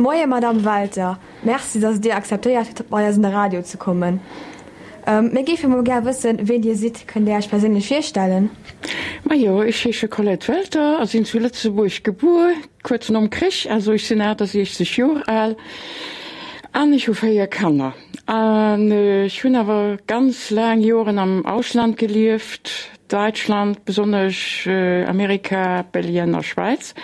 Moie Madamm Welter, Merci, dass Dir akzeptéiert hutt, bei eis an de Radio ze kommen. Mir géife mol gär wëssen, ween Dir sidd. Kënnt Dir Iech perséinlech virstellen? Majo, ech heesche Colette Welter a sinn zu Lëtzebuerg gebuer, kuerz nom Krich, also ech sinn 68 Joer al an ech hu 4 Kanner. An ech hunn awer ganz laang Joren am Ausland gelieft, Däitschland besonnesch, Amerika, Belgien a Schwäiz.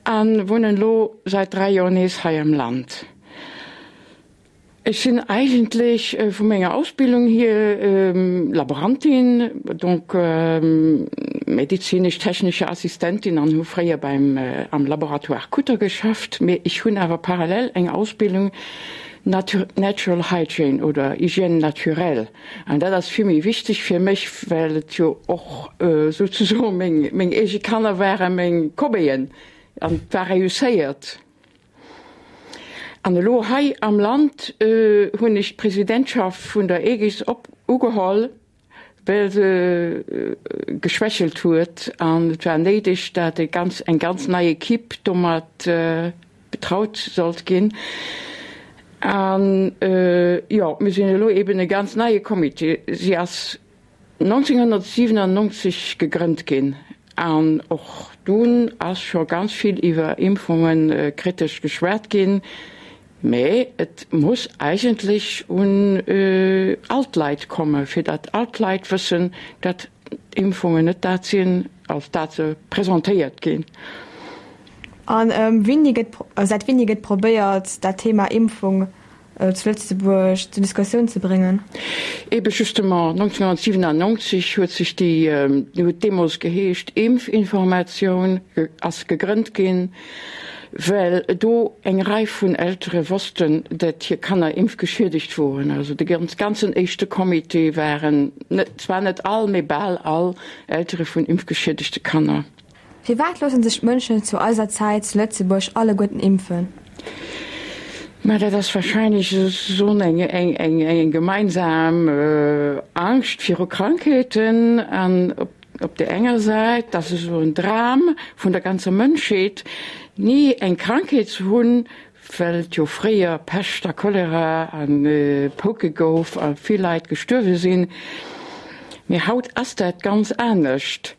An wunnen lo seit 3 Joer nees hei am Land. Ech sinn eigentlech vu menger Ausbildung hier Laborantin, donc medizinesch-technesche Assistentin an hu fréier beim am Laboratoire Kutter geschafft. Mee ech hunn awer parallel eng Ausbildung Natural Hygiene oder Hygiène naturelle an dat ass vill méi wichteg fir mech, well et jo och souzesoen meng meng eege Kanner waren, meng Cobayën an et war réusséiert. An elo hei am Land hunn ech d'Presidentschaft vun der Aegis op ugeholl, well se geschwächelt huet an et war néideg, dat e ganz eng ganz nei Equipe domat betraut sollt ginn. An jo, mir sinn elo eben e ganz neie Comité. Si ass 1997 gegrënnt ginn an och dunn ass scho ganz vill iwwer Impfunge kritesch geschwat ginn. Mä et muss eigentlech un all d'Leit komme fir datt all d'Leit wëssen, datt d'Impfungen net dat sinn, als dat se presentéiert ginn. A wéini gëtt, säit wéini gëtt probéiert, dat Thema Impfung zu Lëtzebuerg zur Diskussioun ze bréngen? Ebe justement, 1997 huet sech déi, huet deemools geheescht Impfinformatioun, ass gegrënnt ginn. Well do eng Rei vun Eltere wossten, dat hir Kanner impfgeschiedegt woren. Also de ganzen éischte Comité waren net, zwar net all, mee bal all Eltere vun impfgeschiedegte Kanner. Firwat loosse sech d'Mënschen zu eiser Zäit zu Lëtzebuerg alleguerten impfen? Mä dat ass wahrscheinlech esou eng gemeinsam Angscht viru Krankheeten an op Op där enger Säit, dat ass esou en Dram vun der ganzer Mënschheet, ni eng Krankheet ze hunn, well et jo fréier Pescht a Cholera a Pouke gouf a vill Leit gestuerwe sinn. Mee haut ass dat ganz anescht.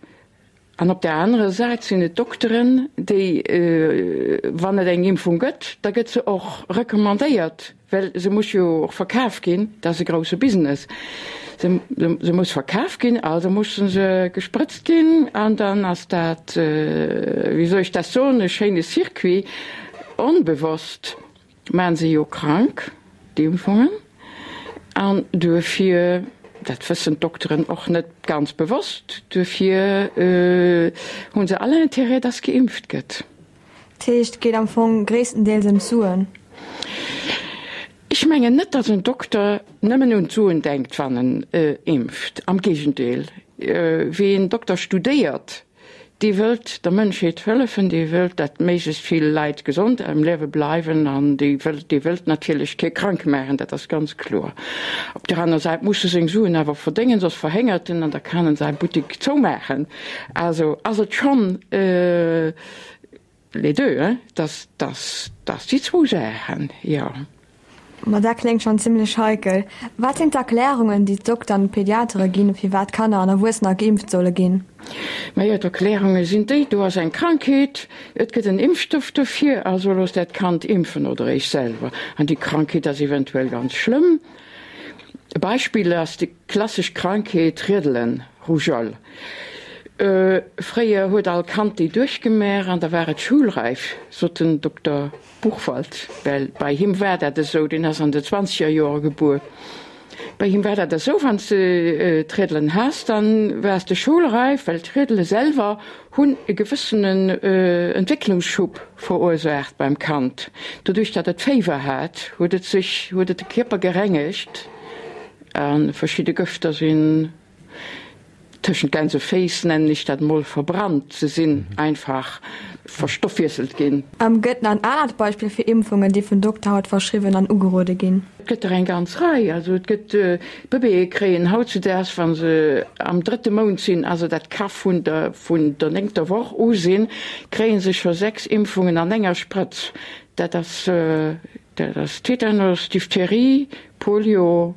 An op där anerer Säit sinn et d'Dokteren, déi, wann et eng Impfung gëtt, da gëtt se och recommandéiert. Well se muss jo och verkaf ginn, dat ass e grousse Business. Se se muss verkaf ginn, also musse se gesprëtzt ginn an dann ass dat, wéi soll ech dat soen, e schéine Circuit. Onbewosst maache se jo krank, déi Impfungen, an duerfir, dat wëssen d'Dokteren och net ganz bewosst, duerfir hu se all Intérêt, dass geimpft gëtt. Dat heescht, et geet am Fong gréisstendeels ëm d'Suen? Ech mengen net, datt en Dokter nëmmen un d'Suen denkt, wann en impft. Am Géigendeel, ween Dokter studéiert, dee wëllt der Mënschheet hëllefen, dee wëllt, datt méiglechst vill Leit gesond am Liewe bleiwen an dee wëllt, dee wëllt natierlech kee krank maachen, dat ass ganz kloer. Op der aner Säit muss e seng Suen awer verdéngen, soss verhéngert en an da kann en säi Buttek zoumaachen. Also ass et schonn Les deux, hein, dass, dass, dass déi zwou Saachen, jo. Ma dat kléngt schonn zimmlech heikel. Wat sinn d'Erklärungen, déi d'Dokter an d'Pediatere ginn, firwat Kanner an Erwuessener geimpft solle ginn? Majo, d'Erklärunge sinn déi, do ass eng Krankheet, et gëtt en Impfstoff dofir, also loosst äert Kand impfen oder iech selwer. An déi Krankheet ass eventuell ganz schlëmm. E Beispill ass déi klassesch Krankheet Riedelen, Rougeole. Fréier huet all Kand déi duerchgemaach an da war et schoulräif, sot den Dokter Buchwald, well bei him war dat esou, deen ass an de zwanzeger Joere gebuer, bei him war dat esou, wann s de d'Riedelen has, dann waars de schoulräif, well d'Riedele selwer hunn e gewëssenen Entwécklungsschub verursaacht beim Kand. Doduerch datt et Féiwer hat, huet et sech, huet et de Kierper gerengegt a verschidde Gëfter sinn Tëschent Gänseféiss, nennen ech dat mol, verbrannt. Se sinn einfach verstoffwiesselt ginn. Gëtt nach en anert Beispill fir Impfungen, déi vun Dokter haut verschriwwen an ugerode ginn? Et gëtt der eng ganz Rei. Also et gëtt, Bëbeeë kréien hautzudaags, wa se am drëtte Mount sinn, also dat ka vun der vun der néngter Woch u sinn, kréie se scho 6 Impfungen an enger Sprëtz. Dat ass, dat ass Tetanus, Diphtherie, Polio,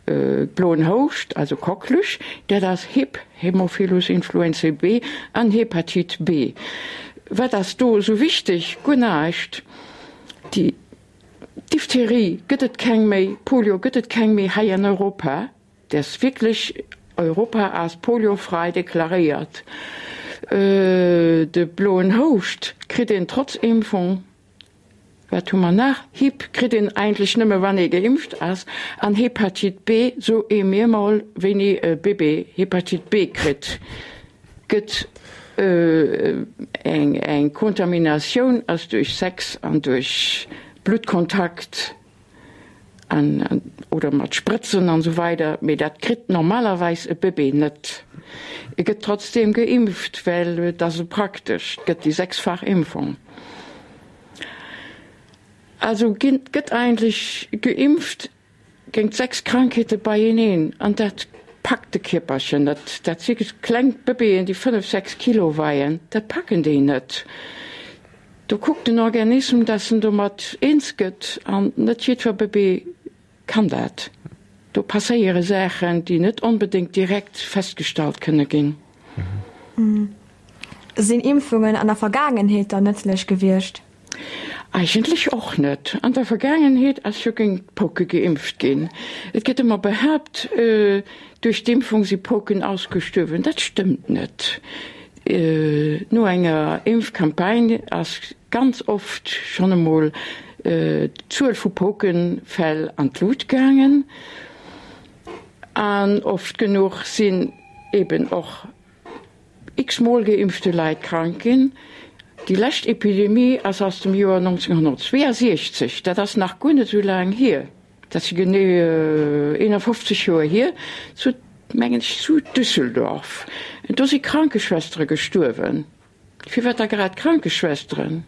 bloen Houscht, also Coqueluche, dat ass Hib, Haemophilus influenzae B, an Hepatite B. Wat ass do esou wichteg? Guer näischt. Déi Diphtherie gëtt et keng méi, Polio gëtt et keng méi hei an Europa. Dat ass wierklech, Europa ass poliofrei deklaréiert. De bloen Houscht kritt een trotz Impfung. Wat hu mer nach? Hib kritt een eigentlech nëmme wann ee geimpft ass an Hepatite B, sou ee mir mol wéini e Bébé Hepatite B kritt, gëtt eng eng Kontaminatioun ass duerch Sex an duerch Bluttkontakt an oder mat Sprëtzen an esou weider, mee dat kritt normalerweis e Bëbee net. E gëtt trotzdeem geimpft, well et ass esou praktesch, et gëtt déi sechsfach Impfung. Also ginn, gëtt eigentlech geimpft géint 6 Krankheete beieneen an dat packt de Kierperchen net. Dat si kleng Bëbeeën, déi 5, 6 Kilo weien, dat packen déi net. Do kuckt den Organism, dass en domat eens gëtt an net jiddwer Bëbee kann dat. Do passéiere Saachen, déi net onbedéngt direkt festgestallt kënne ginn. Sinn Impfungen an der Vergaangenheet dann nëtzlech gewiescht? Eigentlech och net. An der Vergaangenheet ass jo géint d'Pouke geimpft ginn. Et gëtt ëmmer behaapt, duerch d'Impfung si Pouken ausgestuerwen. Dat stëmmt net. No enger Impfcampagne ass ganz oft schonn emol d'Zuel vu Poukefäll an d'Lut gaangen. An oft genuch sinn eben och x-mol geimpfte Leit krank ginn. Déi lescht Epidemie ass aus dem Joer 1962, dat ass nach guer net esou laang hier. Dat si genee 51 Joer hier, zu, mengen ech, zu Düsseldorf. Do si Krankeschwestere gestuerwen. Firwat da grad Krankeschwesteren?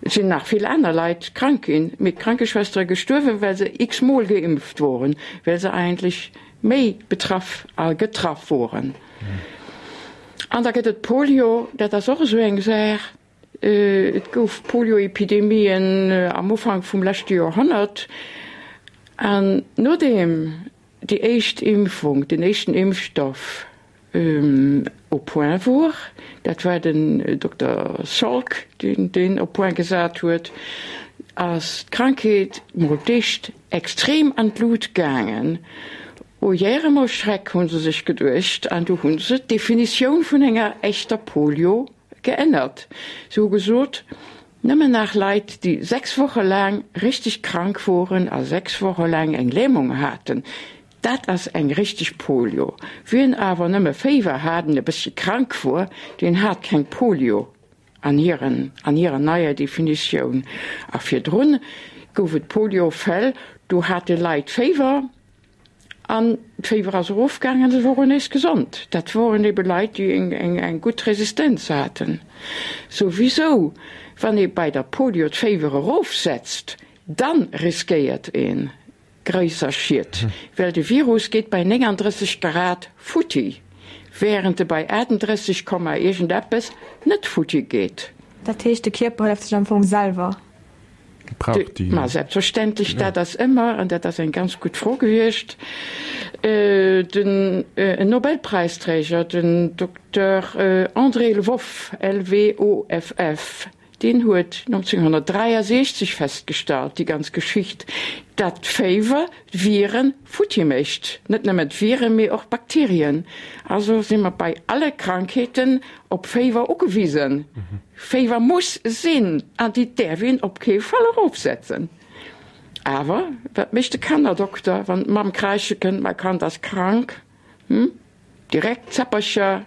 Et sinn nach vill aner Leit krank ginn, mee d'Krankeschwestere gestuerwen, well se x-mol geimpft woren, well se eigentlech méi betraff a getraff woren. An da gëtt et Polio, dat ass och esou eng Saach. Et gouf Polioepidemien am Ufank vum leschte Joerhonnert an nodeem déi éischt Impfung, den éischten Impfstoff au point wor, dat war den Dokter Salk, deen deen au point gesat huet, ass d'Krankheet mol d'éischt extrem an d'Lut gaangen. O Järem, o Schreck, hu se sech geduecht, an du hu se d'Definitioun vun enger echter Polio Geännert. Se hu gesot, nëmmen nach Leit, déi 6 Woche laang richteg krank woren a 6 Woche laang eng Lämung haten, dat ass eng richteg Polio. Wien awer nëmme Féiwer hat an e bëssche krank wor, deen hat keng Polio an hiren, an hirer neier Definitioun. A virdrun gouf et Poliofäll, do hate Leit Féiwer, An d'Féiwer ass erofgaangen an se woren nees gesond. Dat woren ebe Leit, déi eng gutt Resistenz haten. Souwisou, wann ee bei der Polio d'Féiwer erofsetzt, dann riskéiert ee gréisser Schied, well de Virus geet bei 39 Grad futti, wärend e bei 38 Komma iergendeppes net futti geet. Dat heescht, de Kierper hëlleft sech am Fong selwer? Brauch déi. Ma selbstverständlech, dat ass ëmmer, an dat ass eng ganz gutt Fro gewiescht, den Nobelpräisträger, den Dokter André Lwoff, L-W-O-F-F, deen huet 1963 festgestallt, déi ganz Geschicht, dat d'Féiwer d'Viren futti mécht, net nëmmen d'Viren, mee och d'Bakterien. Also si mer bei alle Krankheeten op Féiwer ugewisen. Féiwer muss sinn an déi däerf een op kee Fall erofsetzen. Awer wat mécht de Kannerdokter, wann d'Mamm kräische kënnt, Mäi Kand ass krank? Hm? Direkt Zäppercher,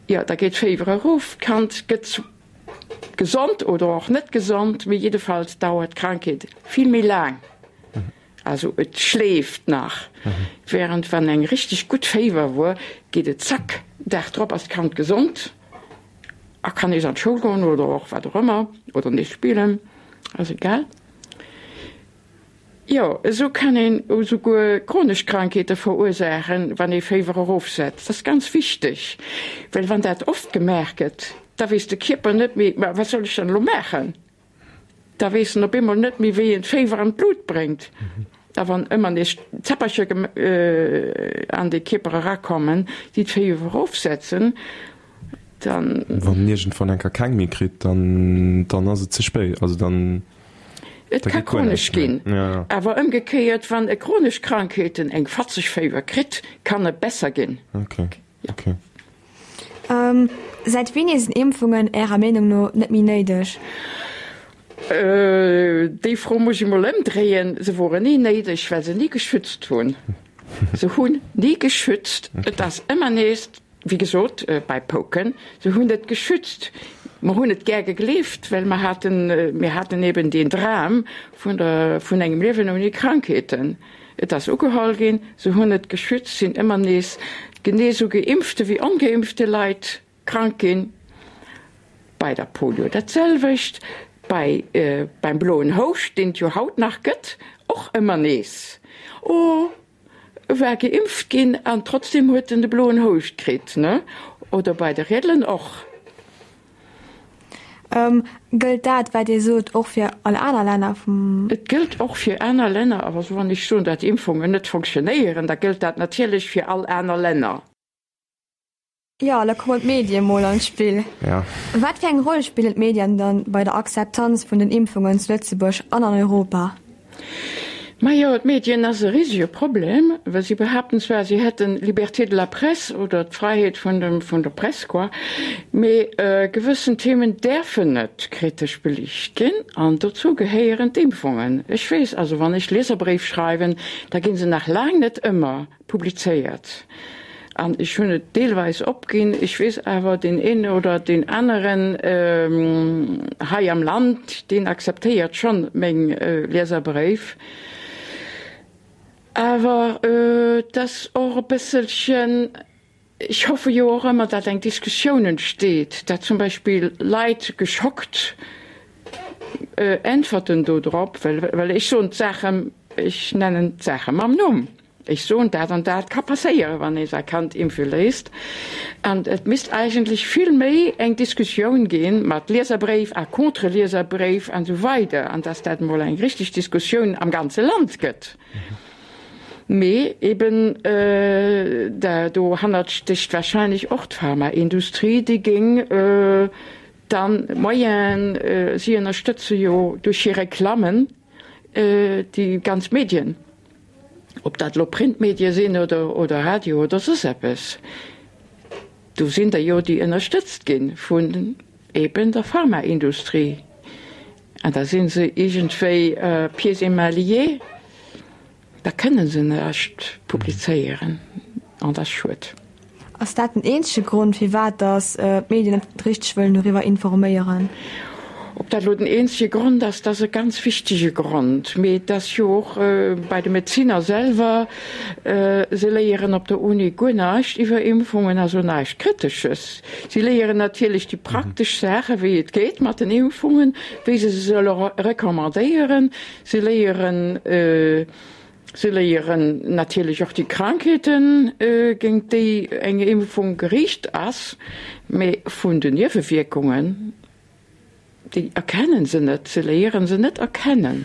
jo, da geet d'Féiwer erof, d'Kand gëtt gesond oder och net gesond, mee jiddefalls dauert d'Krankheet vill méi laang. Also et schleeft nach, während wann eng richteg gutt Féiwer wor, geet et zack, Dag drop ass d'Kand gesond a kann nees an d'Schoul goen oder och wat och ëmmer oder nees spillen, ass egal. Jo, esou kann een esouguer chronesch Krankheete verursaachen, wann ee Féiwer erofsetzt. Dat ass ganz wichteg, well wann dat oft gemaach gëtt. Da weess de Kierper net méi, Ma wat soll ech dann elo maachen? Da weess en op eemol net méi, wéi en d'Féiwer an d'Lut bréngt. A wann ëmmer nees Zäppercher an de Kierper erakommen, déi d'Féiwer erofsetzen, dann. Wann en iergendwann eng Kéier keng méi kritt, dann, dann ass et ze spéit. Also dann, Et da ka geet guer chronesch näischt méi. ginn. Ja, ja. Awer ëmgekéiert, wann e chronesch Krankheeten, eng fatzeg Féiwer kritt, kann e besser ginn. Okay, okay. Säit wéini sinn Impfungen Ärer Meenung no net méi néideg? Déi Fro muss ech emol ëmdréien. Se woren ni néideg, well se ni geschützt hunn. Se hunn ni geschützt. Et ass ëmmer nees, wéi gesot, bei Pouken, se hunn net geschützt. Mer hunn et gär gegleeft, well mer haten, mir haten eben deen Dram vun der, vun engem Liewen ouni Krankheeten. Et ass ugeholl ginn, se hunn net geschützt, sinn ëmmer nees genee sou geimpfte wéi ongeimpfte Leit krank ginn. Bei der Polio dat selwecht, bei beim bloen Houscht, deen et jo haut nach gëtt, och ëmmer nees. Oh, e war geimpft ginn an trotzdem huet en de bloen Houscht kritt, ne? Oder bei de Riedelen och. Gëllt dat, wat Dir sot, och fir all aner Länner vum. Et gëllt och fir aner Länner. Also wann ech soen, datt Impfungen net fonctionnéieren, da gëllt dat natierlech fir all aner Länner. Jo, da kommen d'Medie mol an d'Spill. Ja. Wat fir eng Roll spillen d'Medien dann bei der Akzeptanz vun den Impfungen zu Lëtzebuerg an an Europa? Majo, d'Medien ass e risege Problem, well si behaapten zwar, si hätten Liberté de la presse oder d'Fräiheet vun dem, vun der Press quoi, mee gewëssen Themen däerfen net kritesch beliicht ginn an dozou gehéieren d'Impfungen. Ech weess also, wann ech Lieserbréif schreiwen, da gi se nach laang net ëmmer Publizéiert. An ech hunn et deelweis opginn. Ech weess awer, deen een oder deen aneren hei am Land, deen akzeptéiert schonn meng Lieserbréif. Awer et ass och e bësselchen, ech hoffe jo och ëmmer, datt eng Diskussioun entsteet, datt zum Beispill Leit geschockt äntwerten do drop, well ech soen d'Saachen, ech nennen d'Saache mam Numm. Ech soen, dat an dat ka passéieren, wann ee säi Kand impfe léisst. An et misst eigentlech vill méi eng Diskussioun gi mat Lieserbréif a Contre-Lieserbréif an esou weider, an dass dat emol eng richteg Diskussioun am ganze Land gëtt. Mee eben, dohannert stécht wahrscheinlech och d'Pharmaindustrie, déi géing dann d'Moyenen, si ënnerstëtze jo duerch hir Reklammen déi ganz Medien. Ob dat elo Printmedie sinn oder oder Radio oder soss eppes, do sinn der jo, déi ënnerstëtzt gi vun eben der Pharmaindustrie. An da si se iergendwéi pieds et mains liés, da kënne se näischt publizéieren an dat ass schued. Ass dat den eenzege Grond, firwat datt d'Medien net richteg wëllen doriwwer informéieren? Ob dat elo den eenzege Grond ass, dat ass e ganz wichtege Grond. Mee et ass jo och bei de Medezinner selwer, se léieren op der Uni guer näischt iwwer Impfungen, also näischt Kritesches. Si léieren natierlech déi praktesch Saachen, wéi et geet mat den Impfungen, wéi se se solle recommandéieren. Se léieren, Se léieren natierlech och déi Krankheeten, géint déi eng Impfung geriicht ass, mee vun den Niewewierkungen, déi erkennen se net. Se léieren se net erkennen.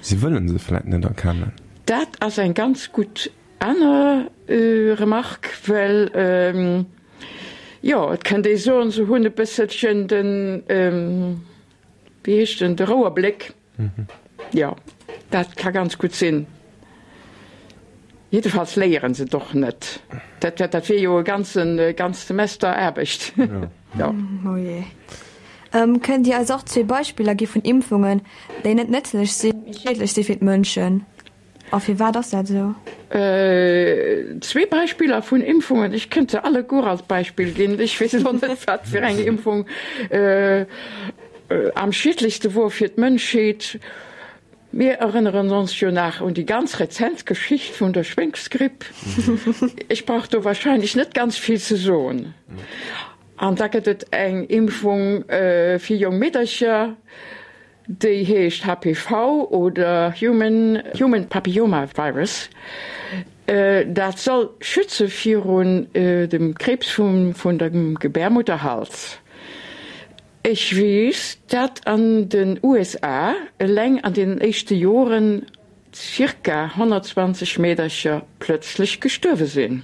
Se wëllen se vläit net erkennen. Dat ass eng ganz gutt aner Remarque, well, jo, et kënnt ee soen, se hunn e bësselchen den, wéi heescht en, de Rouerbléck. Jo, dat ka ganz gutt sinn. Jiddefalls léieren se et och net. Dat, dat wier jo e ganzen, ganzt Semester Aarbecht. Jo. Oh jee. Kënnt Dir eis och zwee Beispiller gi vun Impfungen, déi net nëtzlech sinn, mee schiedlech si fir d'Mënschen? A firwat ass dat esou? Zwee Beispiller vun Impfungen, ech kënnt se alleguer als Beispill ginn, ech weess elo net, wat fir eng Impfung am schiedlechste wor fir d'Mënschheet. Mir erënneren ons jo nach un déi ganz rezent Geschicht vun der Schwéngsgripp. Ech brauch do wahrscheinlech net ganz vill ze soen. An da gëtt et eng Impfung fir jonk Meedercher, Déi heescht HPV oder Human Human Papilloma Virus. Dat soll schütze virun dem Kriibs vum vun dem Gebärmutterhals. Ech weess, dat an den USA eleng an deenen éischte Joren zirka 120 Meedercher plötzlech gestuerwe sinn.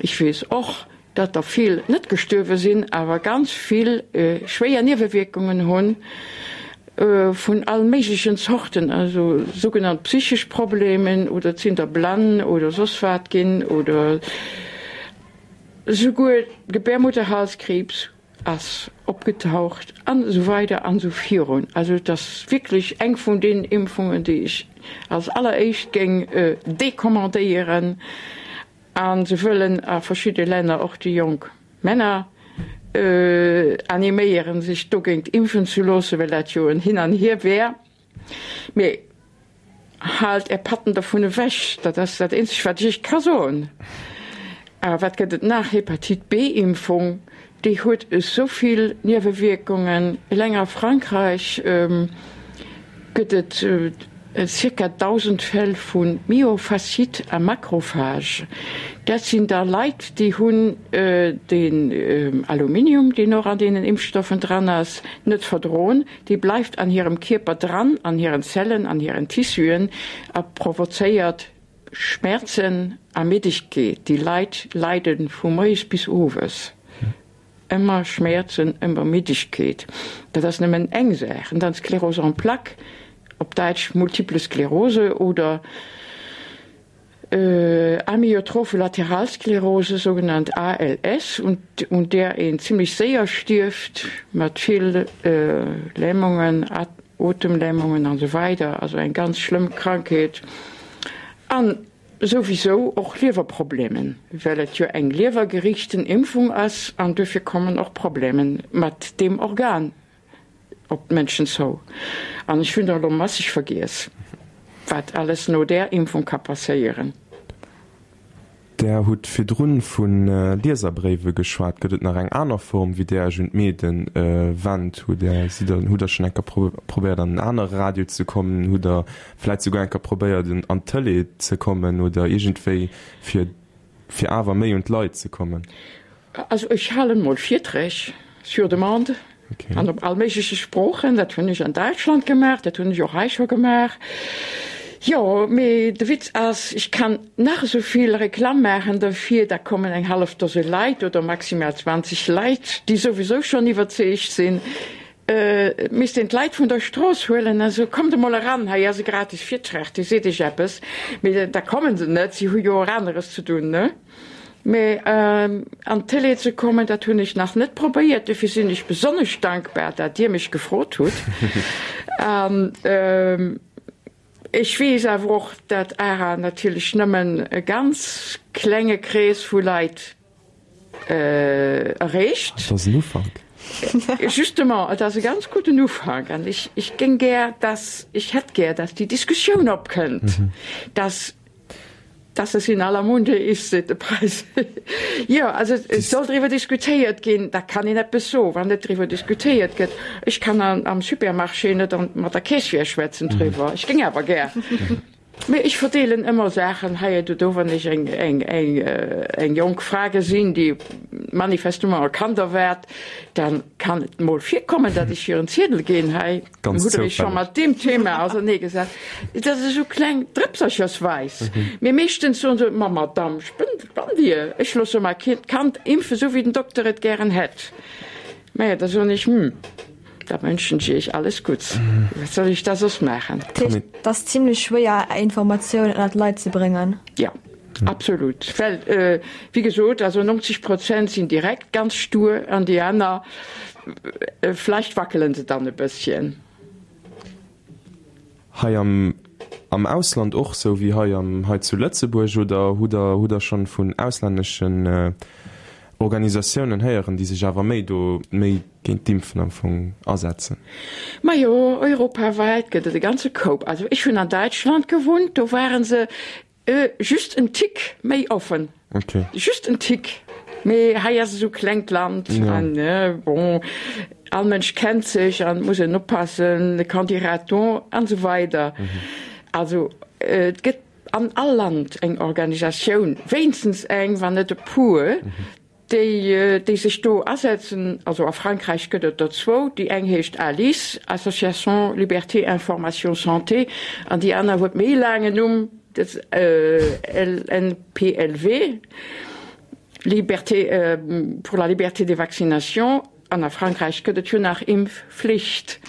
Ech weess och, dat der vill net gestuerwe sinn, awer ganz vill schwéier Niewewierkungen hunn vun all méiglechen Zorten, also sougenannt psychesch Problemen oder et sinn der blann oder soss wat ginn oder souguer Gebärmutterhalskriibs ass opgetaucht an esou weider an esou virun. Also et ass wierklech eng vun deenen Impfungen, déi ech als alleréischt géing decommandéieren. A se wëllen a verschidde Länner och déi jonk Männer animéieren, sech dogéint impfen ze loossen, well dat jo en Hin an Hier wär. Mee haalt Är Patten dervun ewech, dat ass dat eenzegt, wat ech Iech ka soen. A wat gëtt et nach? Hepatite B-Impfung, déi huet esou vill Niewewierkungen. Eleng a Frankräich gëtt et zirka 1.000 Fäll vu Myofasciite à macrophage. Dat sinn da Leit, déi hunn den Aluminium, deen och an deenen Impfstoffen dran ass, net verdroen. Dee bleift an hirem Kierper dran, an hiren Zellen, an hiren Tissuen a provozéiert Schmerzen a Middegkeet. Déi Leit leide vu moies bis owes. Ëmmer Schmerzen, ëmmer Middegkeet. Dat ass nëmmen eng Saach. An dann d'Sclérose en plaques, op Däitsch Multiple Sklerose oder Amyotrophe Lateralsklerose, sougenannt ALS, un där een zimmlech séier stierft, mat vill Lähmungen, Otemlähmungen an esou weider. Also eng ganz schlëmm Krankheet. An souwisou och Liewerproblemen, well et jo eng liewergeriichten Impfung ass an duerfir kommen och Problemen mat deem Organ op d'Mënschen zou. An ech hunn der elo masseg vergiess, wat alles no där Impfung ka passéieren. Der hutt virdrun vu Lieserbréiwe geschwat. Gëtt et nach eng aner Form, wéi Där Iech un d'Medien wennt? Hutt Där, sidd Der, hutt Der schonn eng Kéier probéiert an en anere Radio ze kommen? Hutt Der vläit souguer eng Kéier probéiert an d'Tëlee ze kommen oder iergendwéi fir, fir awer méi un d'Leit ze kommen? Also ech halen mol Virträg sur demande an op all méigleche Sproochen. Dat hunn ech an Däitschland gemaach, dat hunn ech och hei scho gemaach. Jo, mee de Witz ass, ech kann nach esou vill Reklamm maachen derfir, da kommen eng hallef Dose Leit oder maximal 20 Leit, déi souwisou schonn iwwerzeegt sinn. Et misst een d'Leit vun der Strooss huelen a soen, Kommt emol eran, hei ass e gratis Virtrag, dee seet iech eppes. Mee da kommen se net, si hu jo och aneres ze dunn, ne? Mee an d'Télé ze kommen, dat hunn ech nach net probéiert. Dofir sinn ech besonnesch dankbar, dat Dir mech gefrot hutt. An ech weess awer och, dat ARA natierlech nëmmen e ganz klenge Krees vu Leit erreecht. Et ass en Ufank. Justement, et ass e ganz gudden Ufank. An ech, ech géing gär, dass, ech hätt gär, dass déi Diskussioun opkënnt, dass, dass es in aller Munde ist, seet de Preis. Jo, also et soll driwwer diskutéiert ginn, da kann een eppes soen. Wann net driwwer diskutéiert gëtt, ech kann am Supermarché net mat der Caissière schwätzen driwwer, ech géing awer gär. Mee ech verdeelen ëmmer Saachen hei oder do, wann ech eng, eng, eng, eng jonk Fra gesinn, déi manifestement e Kand erwaart, dann kann et mol virkommen, datt ech hir en Ziedel ginn, hei, Ganz hutt Der Iech scho zoufälleg. mat deem Thema auserneegesat? Dat ass esou kleng drëpserchersweis. Mee meeschtens soen se, Ma Madamm, spënnt, spannt Dir? Ech loosse mäi Kand impfen, esou wéi den Dokter et gären hätt. Maja, da soen ech, Hm. Da wënschen ech iech alles Gutts. Wat soll ech da soss maachen? Dat heescht, et ass zimlech schwéier, Är Informatiounen ënner d'Leit ze bréngen? Jo, absolut. Well, wéi gesot, also 90 Prozent sinn direkt ganz stur an déi aner, vläicht wackele se dann e bësschen. Hei am am Ausland och sou wéi hei am hei zu Lëtzebuerg oder hutt der hutt der schonn vun auslänneschen Organisatiounen héieren, déi sech awer méi do méi géint d'Impfen am Fong asetzen? Majo, europawäit gëtt et e ganze Koup. Also ech hunn an Däitschland gewunnt, do ware se Just en Tick méi offen. Okay. Just en Tick. Mee hei ass esou klengt Land an bon, all Mënsch kennt sech an et muss een oppassen, qu'en dira-t-on an esou weider. Also et gëtt an all Land eng Organisatioun, wéinstens eng, wann net e puer. Déi, déi sech do asetzen, also a Frankräich gëtt et der zwou, déi eng heescht ALIS, Association Liberté Information Santé, an déi aner huet méi e laangen Numm, dat LNPLV, Liberté pour la liberté des vaccinations. An a Frankräich gëtt et jo nach Impfflicht.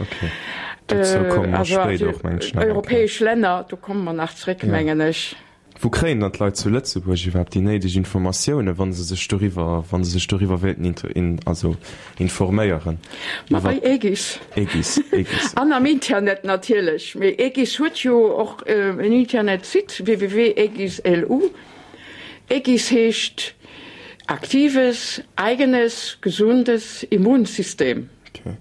Also europäesch Länner, do komme mer nach zréck, mengen ech. Wou kréien dann d'Leit zu Lëtzebuerg iwwerhaapt déi néideg Informatiounen, wa se sech doriwwer, wa se sech doriwwer wéilten also informéieren? Ma bei Aegis. Aegis, Aegis. An am Internet natierlech. Mee Aegis huet jo och en Internetsite, www.aegis.lu. Aegis heescht aktives, eigenes, gesundes Immunsystem. Okay.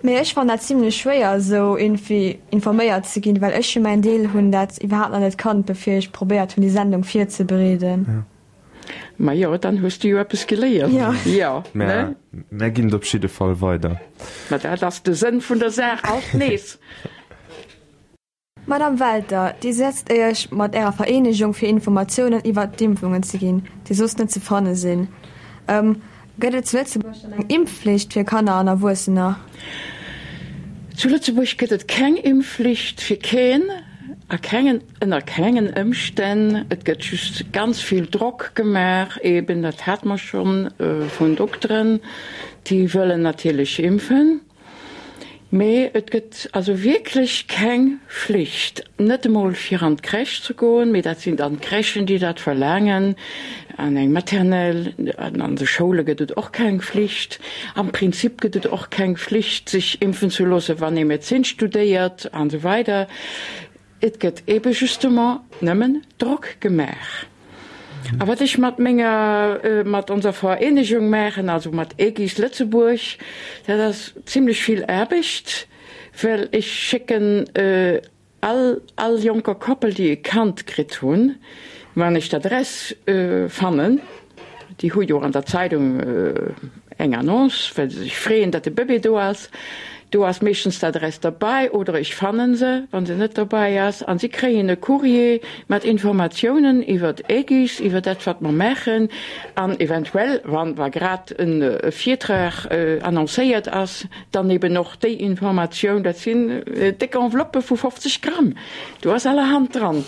Mee ech fannen dat zimlech schwéier esou irgendwie informéiert ze ginn, well ech fir mäin Deel hunn dat iwwerhaapt nach net kannt bevir ech probéiert hunn déi Sendung virzebereeden. Majo, dann hues du jo eppes geléiert. Jo. Jo, ne? Mär ginn et op jidde Fall weider. Ma dat ass de Sënn vun der Saach, alt nees. Madame Welter, Dir setzt Iech mat Ärer Vereenegung fir Informatiounen iwwert d'Impfungen ze ginn, déi soss net ze fanne sinn. Gëtt et zu Lëtzebuerg dann eng Impfflicht fir Kanner an Erwuessener? Zu Lëtzebuerg gëtt et keng Impfflicht fir keen a kengen, ënner kengen Ëmstänn. Et gëtt just ganz vill Drock gemaach, eben, dat hate mer schonn, vun Dokteren, déi wëllen natierlech impfen. Mee et gëtt also wierklech keng Flicht, net emol fir an d'Crèche ze goen, mee dat sinn dann d'Crèchen, déi dat verlaangen, an eng Maternelle, an an de Schoule gëtt et och keng Flicht. Am Prinzip gëtt et och keng Flicht, sech impfen ze loossen, wann ee Medezin studéiert an esou weider. Et gëtt ebe justement nëmmen Drock gemaach. A wat ech mat menger, mat onser Vereenegung maachen, also mat Aegis Lëtzebuerg, dat ass zimlech vill Aarbecht, well ech schécken all, all jonker Koppel, déi e Kand kritt hunn, wann ech d'Adress fannen, Déi hu jo an der Zeidung eng Annonce, well se sech freeën, datt de Bëbee do ass. Do ass meeschtens d'Adress derbäi oder ech fanne se, wa se net derbäi ass. A si kréien e Courrier mat Informatiounen iwwer Aegis, iwwer dat, wat mer maachen an eventuell, wann wa grad e Virtrag annoncéiert ass, dann eben och déi Informatioun. Dat sinn déck Enveloppë vu 50 Gramm, do ass allerhand dran.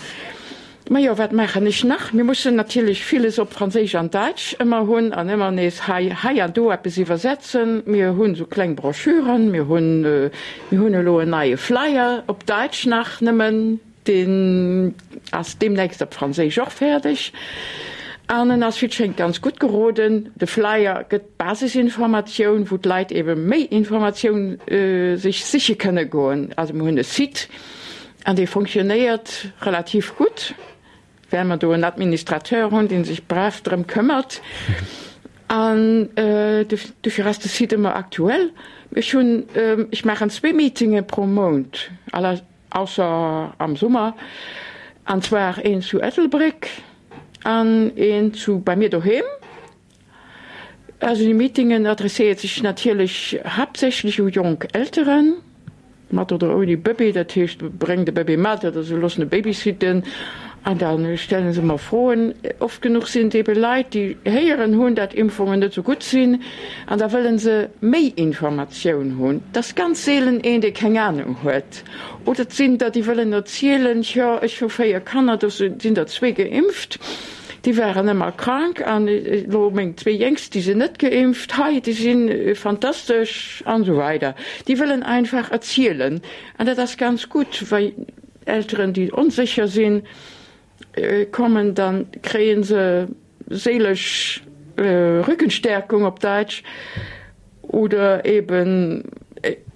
Majo, wat maachen ech nach? Mir mussen natierlech villes op Franséisch an Däitsch ëmmer hunn an ëmmer nees hei, hei an do eppes iwwersetzen. Mir hunn esou kleng Broschüren, mir hunn, mir hunn elo en neie Flyer op Däitsch nach nëmmen, deen ass deemnächst op Franséisch och fäerdeg an en ass, wéi et schéngt, ganz gutt geroden. De Flyer gëtt d'Basisinformatioun, wou d'Leit ebe méi Informatioun sech siche kënne goen. Also mir hunn e Site. An dee fonctionnéiert relativ gutt, well mer do en Administrateur hunn, dee sech brav drëm këmmert. An dofir ass de Site ëmmer aktuell. Ech hunn, ech maachen zwee Meetinge pro Mount, ausser am Summer, an zwar een zu Ettelbréck an een zu bei mir doheem. Also déi Meetingen adresséiert sech natierlech haaptsächlech u jonk Elteren, mat oder ouni Bëbee, dat heescht bréngt e Bëbee mat oder se loossen e babysitten an da stelle se mer Froen. Oft genuch sinn et ebe Leit, déi héieren hunn, dat Impfungen net esou gutt sinn an da wëlle se méi Informatioun hunn. Et ass ganz seelen een, dee keng Anung huet. Oder et sinn der, déi wëllen erzielen, jo ech hu 4 Kanner, do sinn der zwee geimpft. Déi waren ëmmer krank an elo meng zwee Jéngst, déi sinn net geimpft, hei, déi si fantastesch an esou weider. Déi wëllen einfach erzielen an dat ass ganz gutt, well Elteren, déi onsécher sinn, kommen, da kréie se séilesch Rückenstärkung op Däitsch. Oder eben,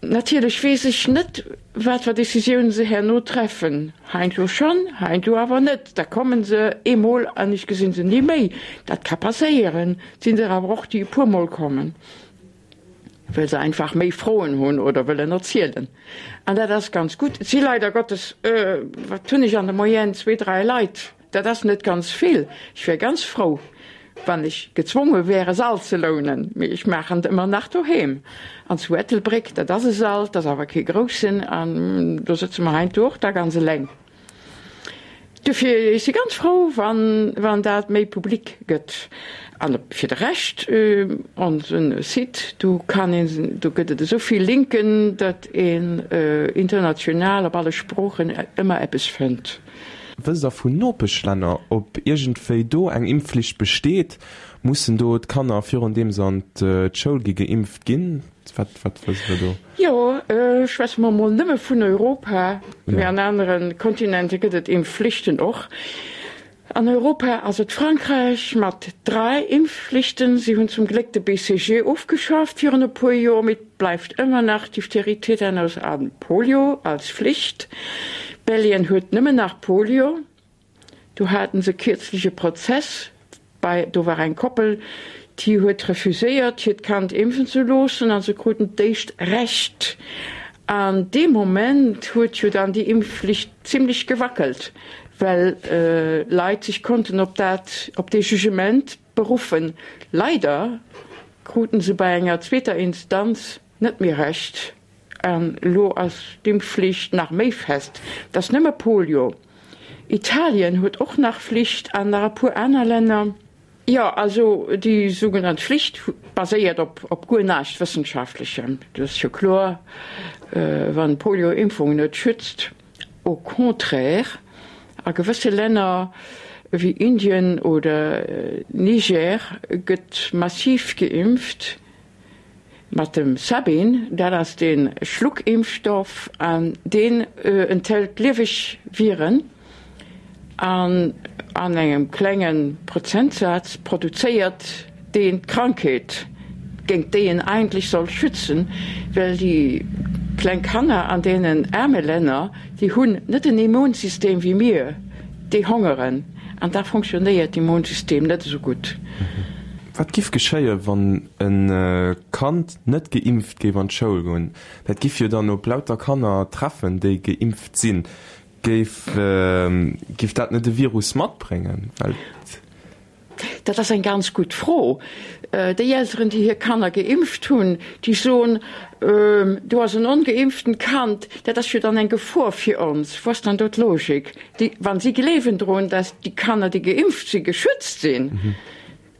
natierlech weess ech net, wat fir Décisioune se herno treffen. Heiansdo schonn, heiansdo awer net. Da komme se eemol an ech gesi se ni méi. Dat ka passéieren. Et sinn der awer och, déi e puermol kommen, well se einfach méi Froen hunn oder wëllen erzielen. An dat ass ganz gutt. Et si leider Gottes, wat hunn ech an der Moyenne, zwee, dräi Leit. Dat ass net ganz vill. Ech wär ganz frou, wann ech gezwonge wär, e Sall ze lounen, mee ech maachen et ëmmer nach doheem. An zu Ettelbréck, dat ass e Sall, 't ass awer kee groussen, an do sëtze mer heiansdo och da ganz eleng. Dofir, ech si ganz frou, wann, wann dat méi public gëtt. An fir de Rescht, onse Site, do kann een, do gëtt et esou vill Linken, datt een international op alle Sproochen ëmmer eppes fënnt. Wësst Der vun Nopeschlänner, ob iergendwéi do eng Impfflicht besteet? Mussen do d'Kanner virun deem se an d'Schoul gi geimpft ginn? Wat, wat wësst Der do? Jo, schwätze mer emol nëmme vun Europa, mee an anere Kontinente gëtt et Impfflichten och. An Europa ass et Frankräich mat 3 Impfflichten. Si hunn zum Gléck de BCG ofgeschaaft virun e puer Joer, mee et bleift ëmmer nach Diphtherie, Tetanus a Polio als Flicht. Belgien huet nëmmen nach Polio. Do haten se kierzlech e Prozess bei, do war eng Koppel, déi huet refuséiert, hiert Kand impfen ze loossen a se kruten d'éischt Recht. An dee Moment huet jo dann déi Impfflicht zimlech gewackelt, well Leit sech konnten op dat, op dee Jugement beruffen. Leider kruten se bei enger zweeter Instanz net méi Recht. An elo ass d'Impfflicht nach méi fest. Et ass nëmme Polio. Italien huet och nach Flicht an nach e puer aner Länner. Jo, also déi sougenannt Flicht baséiert op guer näischt Wëssenschaftlechem. Dat ass jo kloer, wann d'Polio-Impfung net schützt. Au contraire, a gewësse Länner wéi Indien oder Niger gëtt massiv geimpft. Mat dem Sabin, dat ass dee Schluckimpfstoff an deen enthält lieweg Viren an an engem klenge Prozentsaz produzéiert deen d'Krankheet, géint déi en eigentlech soll schützen, well déi kleng Kanner an deenen aarme Länner, déi hunn net en Immunsystem wéi mir, déi hongeren an da fonctionnéiert d'Immunsystem net esou gutt. Wat giff geschéien, wann e Kand net geimpft géif an d'Schoul goen? Dat giff jo dann op lauter Kanner treffen, déi geimpft sinn. Géif, giff dat net e Virus matbréngen? Well. Dat ass eng ganz gutt Fro. Déi Elteren, déi hir Kanner geimpft hunn, déi soen, Do ass en ongeimpftent Kand, dat ass jo dann eng Gefor fir ons. Wou ass dann do d'Logik? Déi, wa si gleewen drun, datt déi Kanner, déi geimpft sinn, geschützt sinn,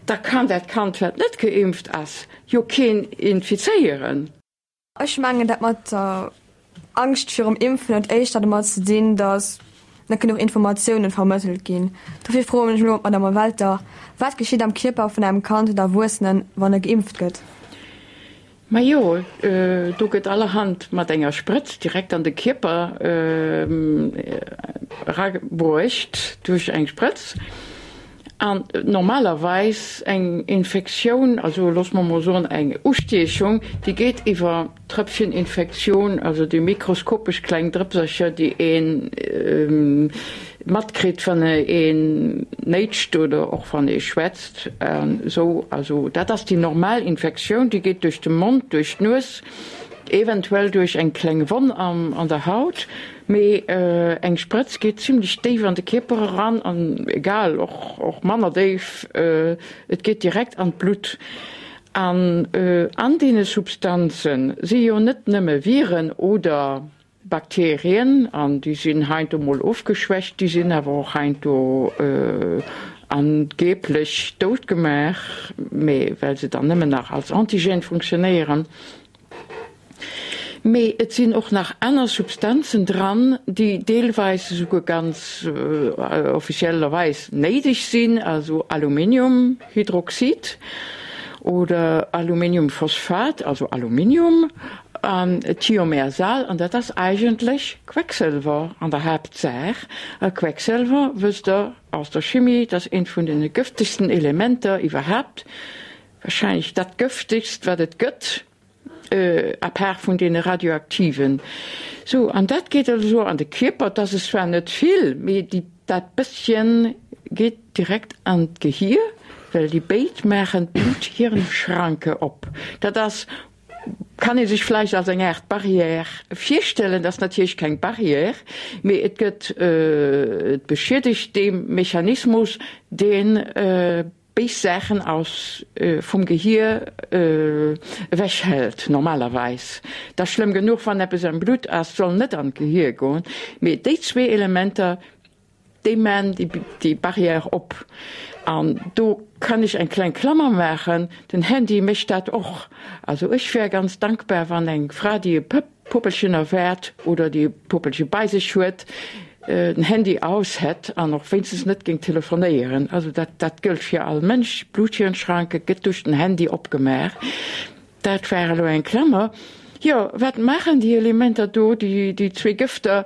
da kann dat Kand, wat net geimpft ass, jo keen infizéieren. Ech mengen, dat mat der Angscht virum Impfen huet éischter domat ze dinn, datt net genuch Informatiounen vermëttelt ginn. Dofir froen ech elo d'Madame Welter, Wat geschitt am Kierper vun engem Kand oder Erwuessenen, wann e geimpft gëtt? Majo, do gëtt allerhand mat enger Sprëtz direkt an de Kierper erabruecht duerch eng Sprëtz. An normalerweis eng Infektioun, also loosse mer mol soen eng Ustiechung, déi geet iwwer Tröpfcheninfektioun, also déi mikroskopesch kleng Drëpsercher, déi ee matkritt, wann een néitscht oder och wann ee schwätzt. Esou, also dat ass déi normal Infektioun, déi geet duerch de Mond, duerch d'Nues, eventuell duerch eng kleng Wonn an der Haut. Mee eng Sprëtz geet zimlech déif an de Kierper eran, an egal, och och manner déif, et geet direkt an d'Blutt. An an deene Substanze si jo net nëmme Viren oder Bakterien, an déi sinn heiansdo mol ofgeschwächt, déi sinn awer och heiansdo angeblech dout gemaach, mee well se dann nëmmen nach als Antigen funktionéieren. Mee et sinn och nach aner Substanzen dran, déi deelweis esouguer ganz officiellerweis néideg sinn, also Aluminiumhydroxid oder Aluminiumphosphat, also Aluminium an Thiomersal, an dat ass eigentlech Quecksëlwer an der Haaptsaach. A Quecksëlwer, wësst Der aus der Chimie, dat ass eent vun de gëftegsten Elementer iwwerhaapt, Wahrscheinlech dat gëftegst wat et gëtt, à part vun deene radioaktiven. Sou, an dat geet also an de Kierper, et ass es zwar net vill, mee déi, dat bësschen geet direkt an d'Gehier, well déi béid maachen d'Blut-Hirn-Schranke op. Dat ass, kann ee sech vläicht als eng Aart Barrière virstellen, dat ass natierlech keng Barrière, mee et gëtt, et beschiedegt dee Mechanismus, deen béis Saachen aus vum Gehier ewech hält normalerweis. Et ass schlëmm genuch wann eppes am Blutt ass, soll net an d'Gehier goen, mee déi zwee Elementer. Déi maan déi Barrière op. An do kann ech eng kleng Klammer maachen, den Handy mécht dat och. Also ech wär ganz dankbar, wann eng Fra, déi e Puppelchen erwaart oder déi e Puppelche bei sech huet, den Handy aus hätt an och wéinstens net géing telefonéieren. Also dat dat gëllt fir all Mënsch. D'Bluthirnschranke gëtt duerch den Handy opgemaach. Dat war elo eng Klammer. Jo, wat maachen déi Elementer do, déi zwee Gëfter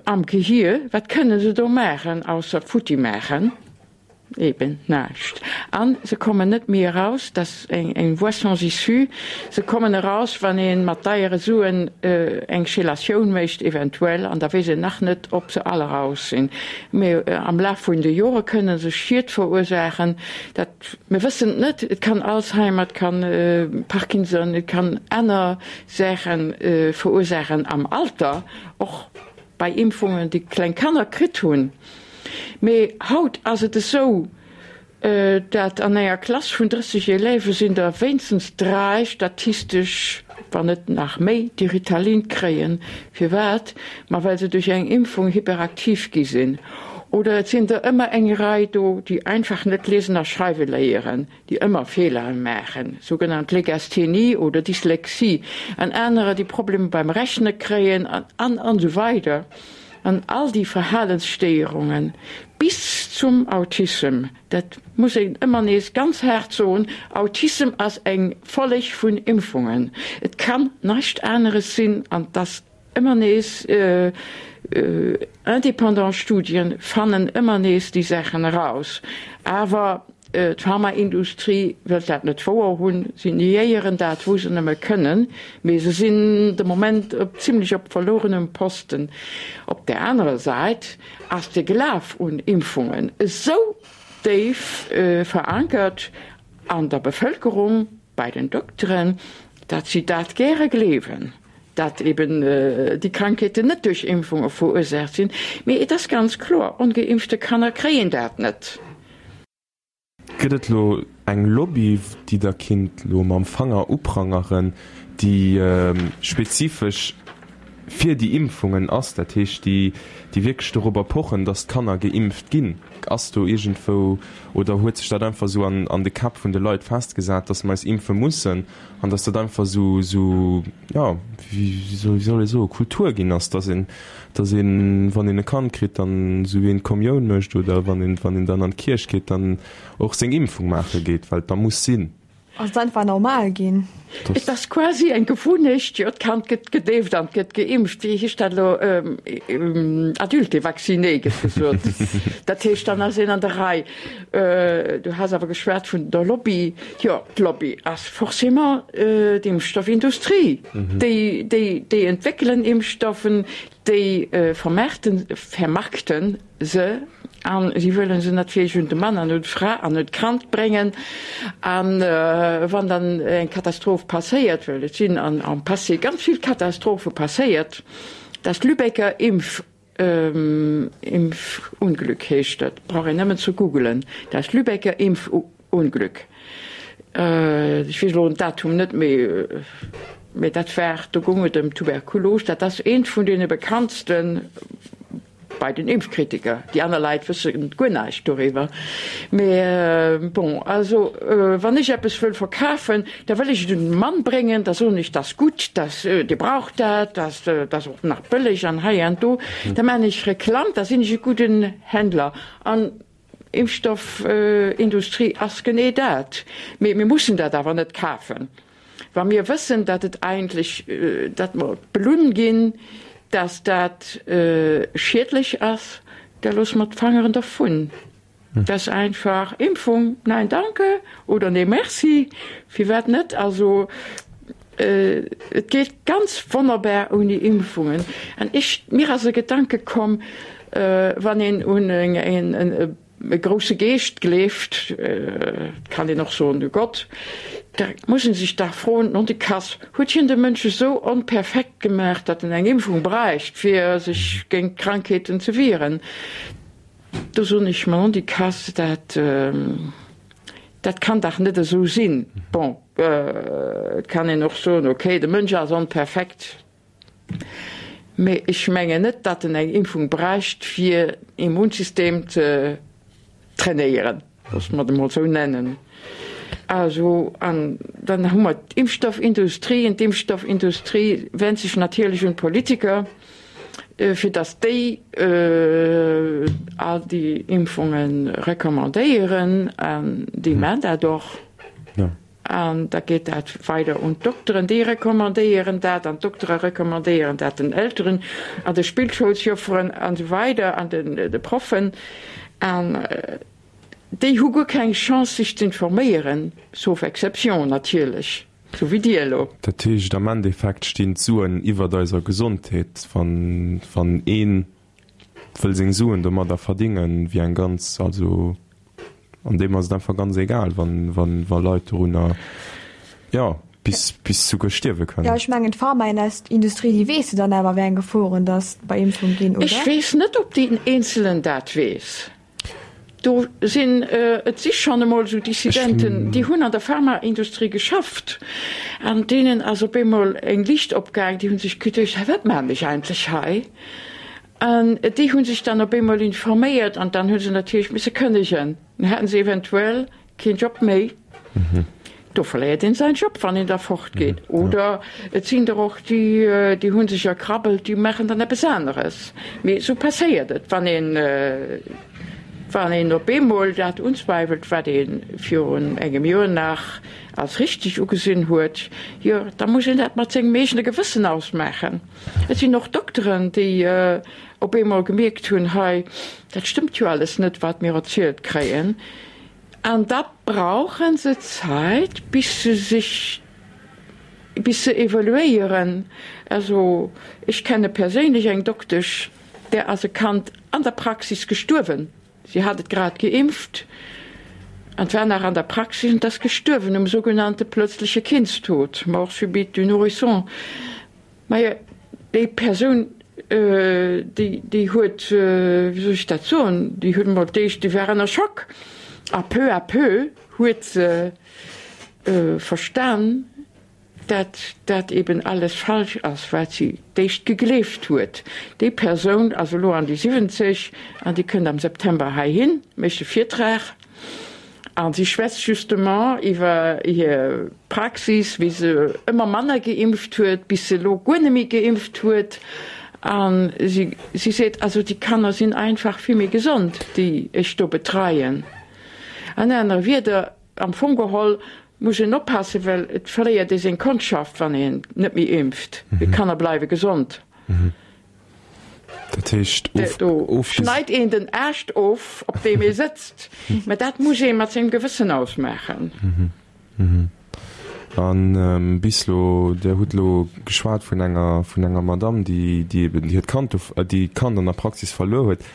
am Gehier, wat kënne se do maachen, ausser futti maachen? Eben näischt. A se kommen net méi eraus, dat ass eng voie sans issue. Se kommen eraus, wann ee mat deiere Suen eng Chelatioun mécht eventuell, an da weess een nach net, ob se all eraus sinn. Mee am Laf vun de Jore kënne se Schied verursaachen. Dat, mir wëssen et net. Et kann Alzheimer, et kann Parkinson, et kann aner Saache verursaachen am Alter, och bei Impfungen, déi kleng Kanner kritt hunn. Mee haut ass et esou, dat an enger Klass vun 30 Élève sinn der wéinstens 3 statistesch, wann net nach méi, déi Ritalin kréien. Firwat? Ma well se duerch eng Impfung hyperaktiv gi sinn. Oder et sinn der ëmmer eng Rei do, déi einfach net liesen a schreiwe léieren, déi ëmmer Feelere maachen, sougenannt Legasthenie oder Dyslexie, an anerer, déi Problemer beim Rechne kréien an an esou weider. An all déi Verhalensstéierungen bis zum Autissem, dat muss een ëmmer nees ganz haart soen, Autissem ass eng Folleg vun Impfungen. Et kann neischt aneres sinn. An et ass ëmmer nees, indépendant Studien fannen ëmmer nees déi Saachen eraus. Awer D'Pharmaindustrie wëllt dat net wouer hunn. Si niéieren dat, wou se nëmme kënnen, mee se sinn de Moment op zimlech op verlorenem Posten. Op där anerer Säit ass de Glaf un Impfungen esou déif verankert an der Bevëlkerung, bei den Dokteren, datt si dat gäre gleewen, datt eben déi Krankheeten net duerch Impfunge verursaacht sinn. Mee et ass ganz kloer, ongeimpfte Kanner kréien dat net. Gëtt et lo eng Lobby, déi Der kinnt lo mam Fanger uprangeren, déi spezifesch fir déi Impfungen ass, dat heescht, déi wierklech dorobber pochen, datt d'Kanner geimpft ginn? Ass do iergendwou, oder huet sech dat einfach esou an de Käpp vun de Leit festgesat, datt mer eis impfe mussen an datt dat einfach esou, esou, jo, wéi soll ee soen, Kultur ginn ass, datt een, datt een, wann een e Kand kritt, dann esou wéi een d'Kommioun mécht oder wann een, wann een dann an d'Kierch geet, dann och seng Impfung maache geet, well et da muss sinn. Ass et einfach normal ginn? Et ass quasi eng Gewunnecht, jo, d'Kand gëtt gedeeft an gëtt geimpft. Wéi heescht dat elo? Adulte vacciné gëtt gesot. Dat heescht, dann ass een an der Rei. Du has awer geschwat vun der Lobby. Jo, d'Lobby ass forcément d'Impfstoffindustrie. Déi, déi, déi entwéckelen Impfstoffen, déi vermaarten, vermarkten se a si wëlle se natierlech un de Mann an un d'Fra an un d'Kand bréngen. A wann dann eng Katastroph passéiert, well et sinn am Passé ganz vill Katastrophe passéiert, das Lübecker Impf, Impfunglück heescht dat, brauch een nëmmen ze googelen, das Lübecker Impfunglück. Ech weess elo den Datum net méi, mee dat war, do goung et ëm Tuberkulos, dat ass eent vun deene bekanntsten, Bei den Impfkritiker, déi aner Leit wësse guer näischt doriwwer. Mee bon, also wann ech eppes wëll verkafen, da wëll ech et un den Mann bréngen, da soen ech, dat ass gutt, dat, Dir braucht dat, dat ass och nach bëlleg an hei an do. Da maachen ech Reklamm, da sinn ech e gudden Händler. An Impfstoffindustrie ass genee dat. Mee mir mussen dat awer net kafen. Wa mir wëssen, datt et eigentlech, datt mer belunn ginn, datt dat schiedlech ass, da loosse mer d'Fangeren dervun. Dat ass einfach, Impfung, nein danke oder nee merci, firwat net? Also et geet ganz wonnerbar ouni Impfungen. An ech, mir ass e Gedanke komm, wann een un eng, e grousse Geescht gleeft, et kann een och soen u Gott, da muss een sech dach froen, Nondikass, huet hien de Mënsch esou onperfekt gemaach, datt en eng Impfung bräicht, fir sech géint Krankheeten ze wieren? Do soen ech mer, Nondikass, dat, dat kann dach net esou sinn. Bon, et kann een och soen, okay, de Mënsch ass onperfekt. Mee ech mengen net, datt en eng Impfung bräicht, fir Immunsystem ze trainéieren, loosse mer et emol esou nennen. Also, an dann hu mer d'Impfstoffindustrie. An d'Impfstoffindustrie wennt sech natierlech un d'Politiker, fir datt déi all déi Impfunge recommandéieren. An déi maachen dat och. An da geet dat weider un d'Dokteren, déi recommandéieren dat, an d'Doktere recommandéieren dat den Elteren an de Spillschoulsjofferen an esou weider an de Proffen. An déi hu guer keng Chance sech z'informéieren, sauf exception natierlech, sou wéi Dir elo. Dat heescht, am Endeffekt stinn d'Suen iwwert eiser Gesondheet. Wann ee wëll seng Suen domadder verdingen, wéi eng ganz, also An deem ass et einfach ganz egal, wann, wann, wa Leit dorunner, jo, bis, bis souguer stierwe kënnen. Jo, ech mengen d'Pharmaindustrie, déi weess jo dann awer, wéi eng Geforen dass bei Impfung ginn, oder? Ech weess net, ob deen Eenzelen dat weess. Do sinn, et si schonn emol esou Dissidenten, déi hunn an der Pharmaindustrie geschafft an deenen ass op eemol eng Liicht opgaang, déi hu sech geduecht, Hä, wat maachen ech eigentlech hei? An déi hu sech dann op eemol informéiert an dann hu se natierlech misse kënnegen. Dann haten se eventuell keen Job méi. Do verléiert een säin Job, wann een da fortgeet. Oder et sinn der och, déi, déi hu sech erkrabbelt, déi maachen dann eppes aneres. Mee esou passéiert et, wann een, wann een op eemol dat unzweiwelt, wat ee virun engem Joer nach als richteg ugesinn huet, jo, da muss een dat mat sengem eegene Gewëssen ausmaachen. Et sinn och Dokteren, déi op eemol gemierkt hunn, hei, dat stëmmt jo alles net, wat mir erzielt kréien. An da brauche se Zäit, bis se sech, bis se evoluéieren. Also ech kenne perséinlech eng Doktesch, där ass e Kand an der Praxis gestuerwen. Si hat et grad geimpft an war nach an der Praxis an ass gestuerwen um sougenannte plötzliche Kindstod, mort subite du nourrisson. Majo, déi Persoun, déi, déi huet, wéi soll ech dat soen, déi huet emol d'éischt, déi war ënner Schock a peu à peu huet se verstan, dat dat eben alles falsch ass, wat si d'éischt gegleeft huet. Déi Persoun ass elo an déi 70 an déi kënnt am September heihin, mécht e Virtrag a si schwätzt justement iwwer hir Praxis, wéi se ëmmer manner geimpft huet, bis se elo guer net méi geimpft huet. A si si seet, also déi Kanner sinn einfach vill méi gesond, déi ech do betreien. An anere Wieder, Am Fong geholl muss een oppassen, well et verléiert ee seng Kondschaft, wann een net méi impft. D'Kanner bleiwe gesond. Dat heescht, Do schneit een den Aascht of, op deem ee sëtzt. Mä dat muss ee mat sengem Gewëssen ausmaachen. A bis elo, Dir hutt elo geschwat vun enger, vun enger Madamm, déi, déi eben hiert Kand do, déi d'Kand an der Praxis verluer huet.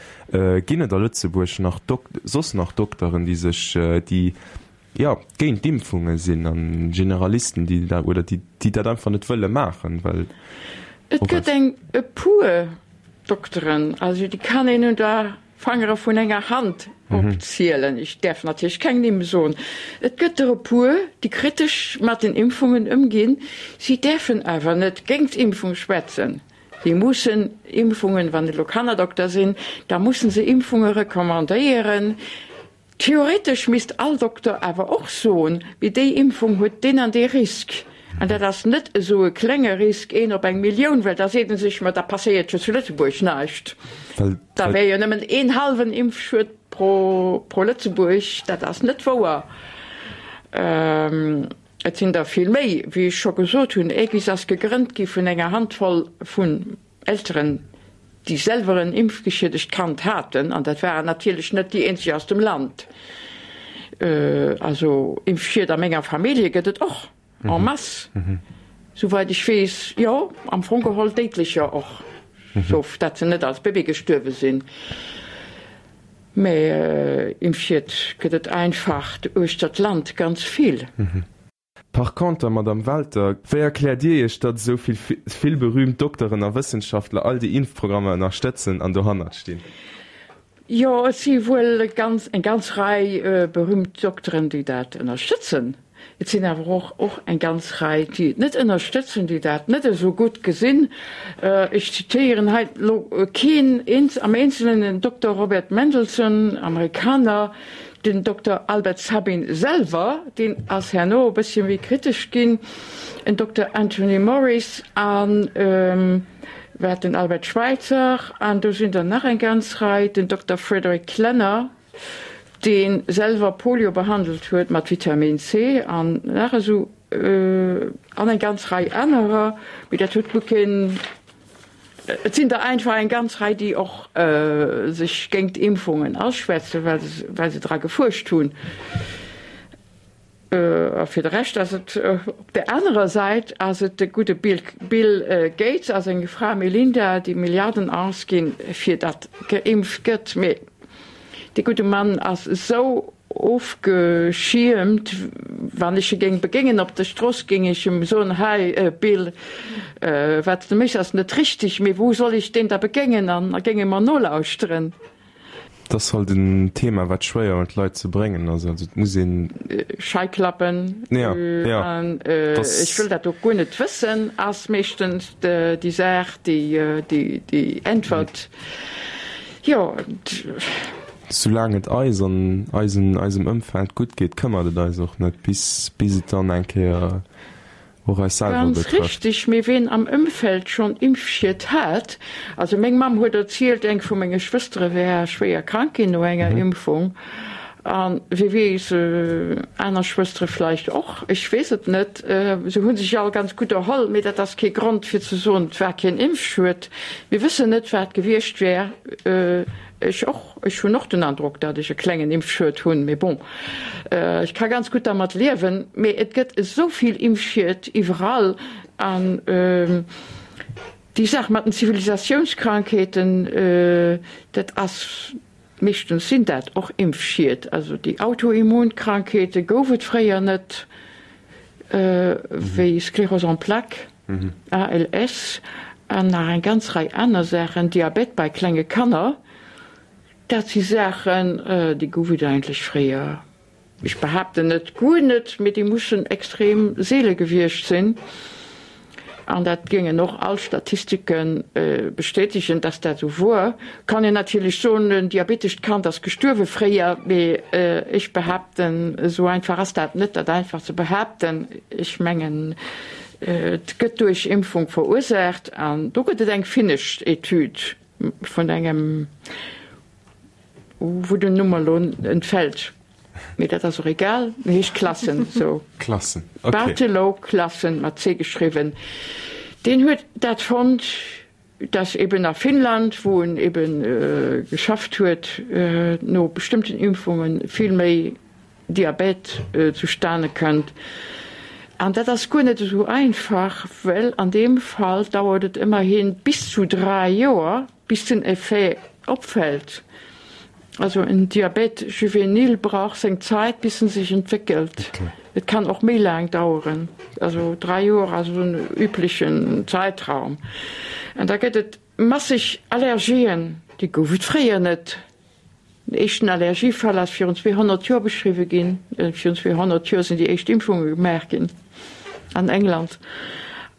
Ginn et a Lëtzebuerg nach Dok, soss nach Dokteren, déi sech, déi, jo, géint d'Impfunge sinn a Generalisten, déi dat, oder déi, déi dat einfach net wëlle maachen, well. Et gëtt eng, e puer Dokteren, also déi kann een un der Fangere vun enger Hand opzielen. Ech däerf natierlech keng Nimm soen. Et gëtt der e puer, déi kritesch mat den Impfungen ëmginn. Si däerfen awer net géint d'Impfung schwätzen. Si mussen Impfungen, wann et elo Kannerdokter sinn, da mussen se Impfunge recommandéieren. Theoretesch misst all Dokter awer och soen, mee déi Impfung huet deen an dee Risk. An dat ass net esou e klenge Risk, een op eng Millioun, well da seet e sech, ma da passéiert jo zu Lëtzebuerg näischt. Da wär jo nëmmen een hallwen Impfschued pro pro Lëtzebuerg. Dat ass net wouer. Et sinn der vill méi. Wéi ech scho gesot hunn, Aegis ass gegrënnt gi vun enger Handvoll vun Elteren, déi selwer en impfgeschiedegt Kand haten, an dat waren natierlech net déi eenzeg aus dem Land, also Impfschied a menger Famillje gëtt et och en masse, souweit ech weess, jo, am Fong geholl déidlecher och, sauf dat se net als Bébé gestuerwe sinn, mä Impfschied gëtt et einfach uechter d'Land ganz vill. Par conter, Madame Welter, wéi erkläert Dir Iech, datt esou vill vill berühmt Dokteren a Wëssenschaftler all déi Impfprogrammer ënnerstëtzen an dohannert stinn? Jo, et si wuel ganz eng ganz Rei berühmt Dokteren, déi dat ënnerstëtzen. Et sinn awer och och eng ganz Rei, déi et net ënnerstëtzen, déi dat net esou gutt gesinn. Ech zitéieren hei elo keen am Eenzelen, den Dokter Robert Mendelsohn, Amerikaner, den Dokter Albert Sabin selwer, deen ass herno e bëssche méi kritesch ginn, en Dokter Anthony Morris an wat den Albert Schweitzer an do sinn der nach eng ganz Rei, den Dokter Frederick Klenner, dee selwer Polio behandelt huet mat Vitamin C an nach esou an eng ganz Rei anerer, mee dat huet guer keen, et sinn der einfach eng ganz Rei, déi och sech géingt Impfungen aschwätzen, well se dra gefuerscht hunn. A fir de Rescht ass et op der anerer Säit ass et de gudde Bill Gates a seng Fra Melinda, déi Milliarden ausginn, fir datt geimpft gëtt. Mee dee gudde Mann ass esou ofgeschiermt, wann ech e géing begéngen op der Strooss, géing ech em soen, Hei Bill, wat s de méchs ass net richteg, mee wou soll ech deen da begéngen an géing e mer nolauschteren? Et ass halt en Thema, wat schwéier un d'Leit ze bréngen ass. Also et muss een. Scheiklappen an ech wëll dat och guer net wëssen, ass meeschtens déi Saach, déi déi Äntwert. Jo. Soulaang et eis an eisen eisem Ëmfeld gutt geet, këmmert et eis och net, bis bis et dann eng Kéier och eis selwer Ganz betrëfft. richteg, mee ween am Ëmfeld schonn Impfschied hat, also meng Mamm huet erzielt, eng vu menge Schwëstere wär schwéier krank ginn no enger Impfung, a wie weess, aner Schwëstere vläicht och, ech weess et net, se hu sech all ganz gutt erholl, mee dat ass kee Grond fir ze soen, et war keen Impfschued. Mir wëssen net, wat gewiescht wär. Ech och. Ech hunn och den Androck, datt ech e klengen Impfschued hunn, mee bon, ech ka ganz gutt dermat liewen. Mee et gëtt esou vill Impfschied iwwerall an déi Saach mat den Zivilisatiounskrankheeten, dat ass, meeschtens sinn dat och Impfschied. Also déi Autoimmunkrankheete gouf et fréier net, wéi Sclérose en plaques. ALS an nach eng ganz Rei aner Saachen, Diabet bei klenge Kanner, dat si Saachen, déi gouf et eigentlech fréier, ech behaapten net guer net, mee déi mussen extrem seele gewiescht sinn. An dat géingen och all Statistike bestätegen, dass dat esou wor. Kann een natierlech soen, en diabetescht Kand ass gestuerwe fréier, mee ech behaapten, esou einfach ass dat net, dat einfach ze behaapten. Ech mengen, Et gëtt duerch Impfung verursaacht an do gëtt et eng finnesch Etüd vun engem, wou den Numm mer elo entfält, mee dat ass och egal, en heescht Klassen, sou. Klassen, okay. Bartelo Klassen, mat C geschriwwen, deen huet dat fonnt. Dass eben a Finnland, wou en eben geschafft huet, no bestëmmten Impfunge vill méi Diabète zustane kënnt. An dat ass guer net esou einfach, well an deem Fall dauert et ëmmerhi bis zu 3 Joer, bis den Effet opfält. Also en Diabète juvénile brauch seng Zäit, bis en sech entwéckelt. Et kann och méi laang daueren, also 3 Joer ass esou en üblechen Zäitraum. An da gëtt et masseg Allergien, déi gouf et fréier net. Den éischten Allergiefall ass virun 200 Joer beschriwwe ginn. Virun 200 Joer sinn déi éischt Impfunge gemaach ginn an England.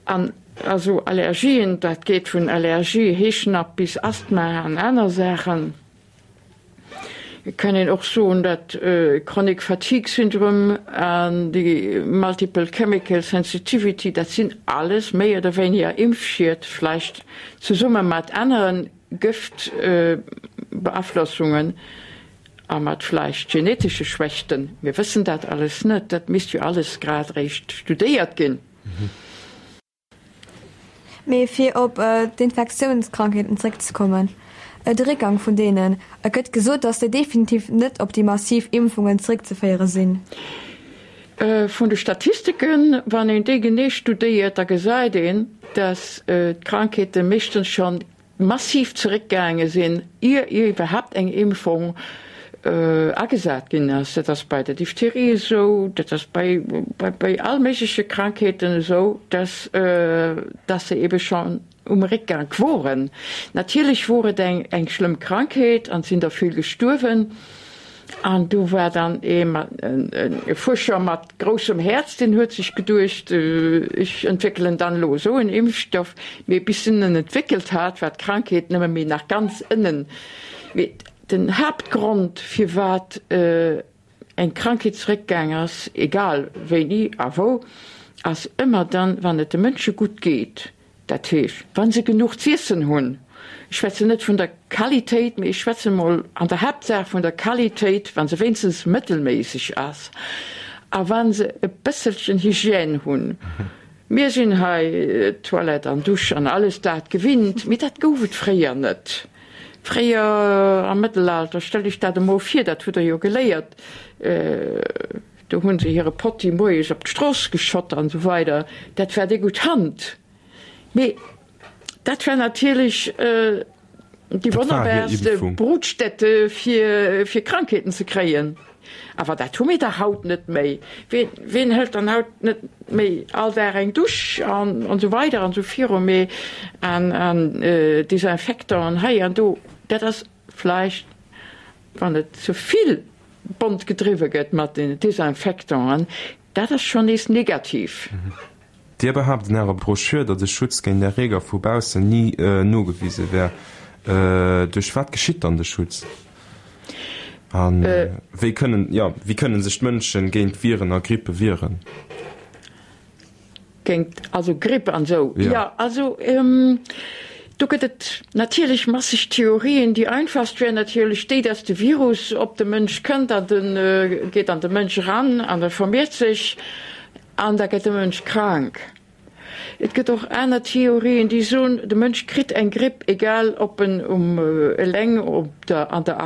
An also Allergien, dat geet vun Allergie, Heeschnapp bis Asthma an aner Saachen. Et kann een och soen, dat Chronic Fatigue Syndrome an déi Multiple Chemical Sensitivity, dat sinn alles méi oder wéiniger Impfschied, vläicht zesumme mat anere Gëftbeaflossungen a mat vläicht genetesche Schwächten. Mir wëssen dat alles net, dat misst jo alles grad eréischt studéiert ginn. Mee fir op d'Infektiounskrankheeten zréckzekommen, de Réckgang vun deenen, et gëtt gesot, datt déi definitiv net op déi massiv Impfungen zréckzeféiere sinn. Vun de Statistiken, wann een déi genee studéiert, da gesäit een, datt d'Krankheete meeschtens schonn massiv zeréckgaange sinn, ier iwwerhaapt eng Impfung agesat ginn ass. Dat ass bei der Diphtherie esou, dat ass bei bei all méigleche Krankheeten esou, dass dass se ebe schonn um Réckgank woren. Natierlech wor et eng eng schlëmm Krankheet an et sinn der vill gestuerwen. An du war dann ee mat, e Fuerscher mat groussem Häerz, deen huet sech geduecht, ech entwéckelen dann elo esou en Impfstoff. Mee bis en en entwéckelt hat, war d'Krankheet nëmme méi nach ganz ënnen. Mee den Haaptgrond, firwat eng Krankheet zeréckgaang ass, egal wéini a wou, ass ëmmer dann, wann et de Mënsche gutt geet. Dat heescht, wa se genuch z'iessen hunn, ech schwätzen net vun der Qualitéit, mee ech schwätzen emol an der Haaptsaach vun der Qualitéit, wa se wéinstens mëttelméisseg ass a wa se e bësselchen Hygiène hunn. Mir sinn hei Toilette an Dusch an alles dat gewinnt, mee dat gouf et fréier net. Fréier am Mëttelalter, stellt Iech dat emol vir, dat hutt Der jo geléiert, Do hunn se hire Potti moies op d'Strooss geschott an esou weider. Dat war déi gutt Hand. Mee dat war natierlech déi wonnerbarste Brutstätte fir fir Krankheeten ze kréien. Awer dat hu mir dach haut net méi. Ween, ween hëlt dann haut net méi all Dag eng Dusch an an esou weider an esou viru. Mee an an Desinfektanten hei an do, dat ass vläicht, wann et ze vill bont gedriwwe gëtt mat den Desinfectanten, dat ass schonn nees negativ. Dir behaapt an Ärer Broschür, datt e Schutz géint Erreeger vu baussen ni nogewise wär. Duerch wat geschitt dann de Schutz? A wéi kënnen, jo, wéi kënnen sech d'Mënschen géint Viren a Grippe wieren? Géint also Gripp an esou? Jo, also do gëtt et natierlech masseg Theorien. Déi einfachst wär natierlech déi, dass de Virus op de Mënsch kënnt an de geet an de Mënsch eran an e vermeert sech an da gëtt de Mënsch krank. Et gëtt och aner Theorien, déi soen, de Mënsch kritt eng Gripp, egal ob en um eleng op der an der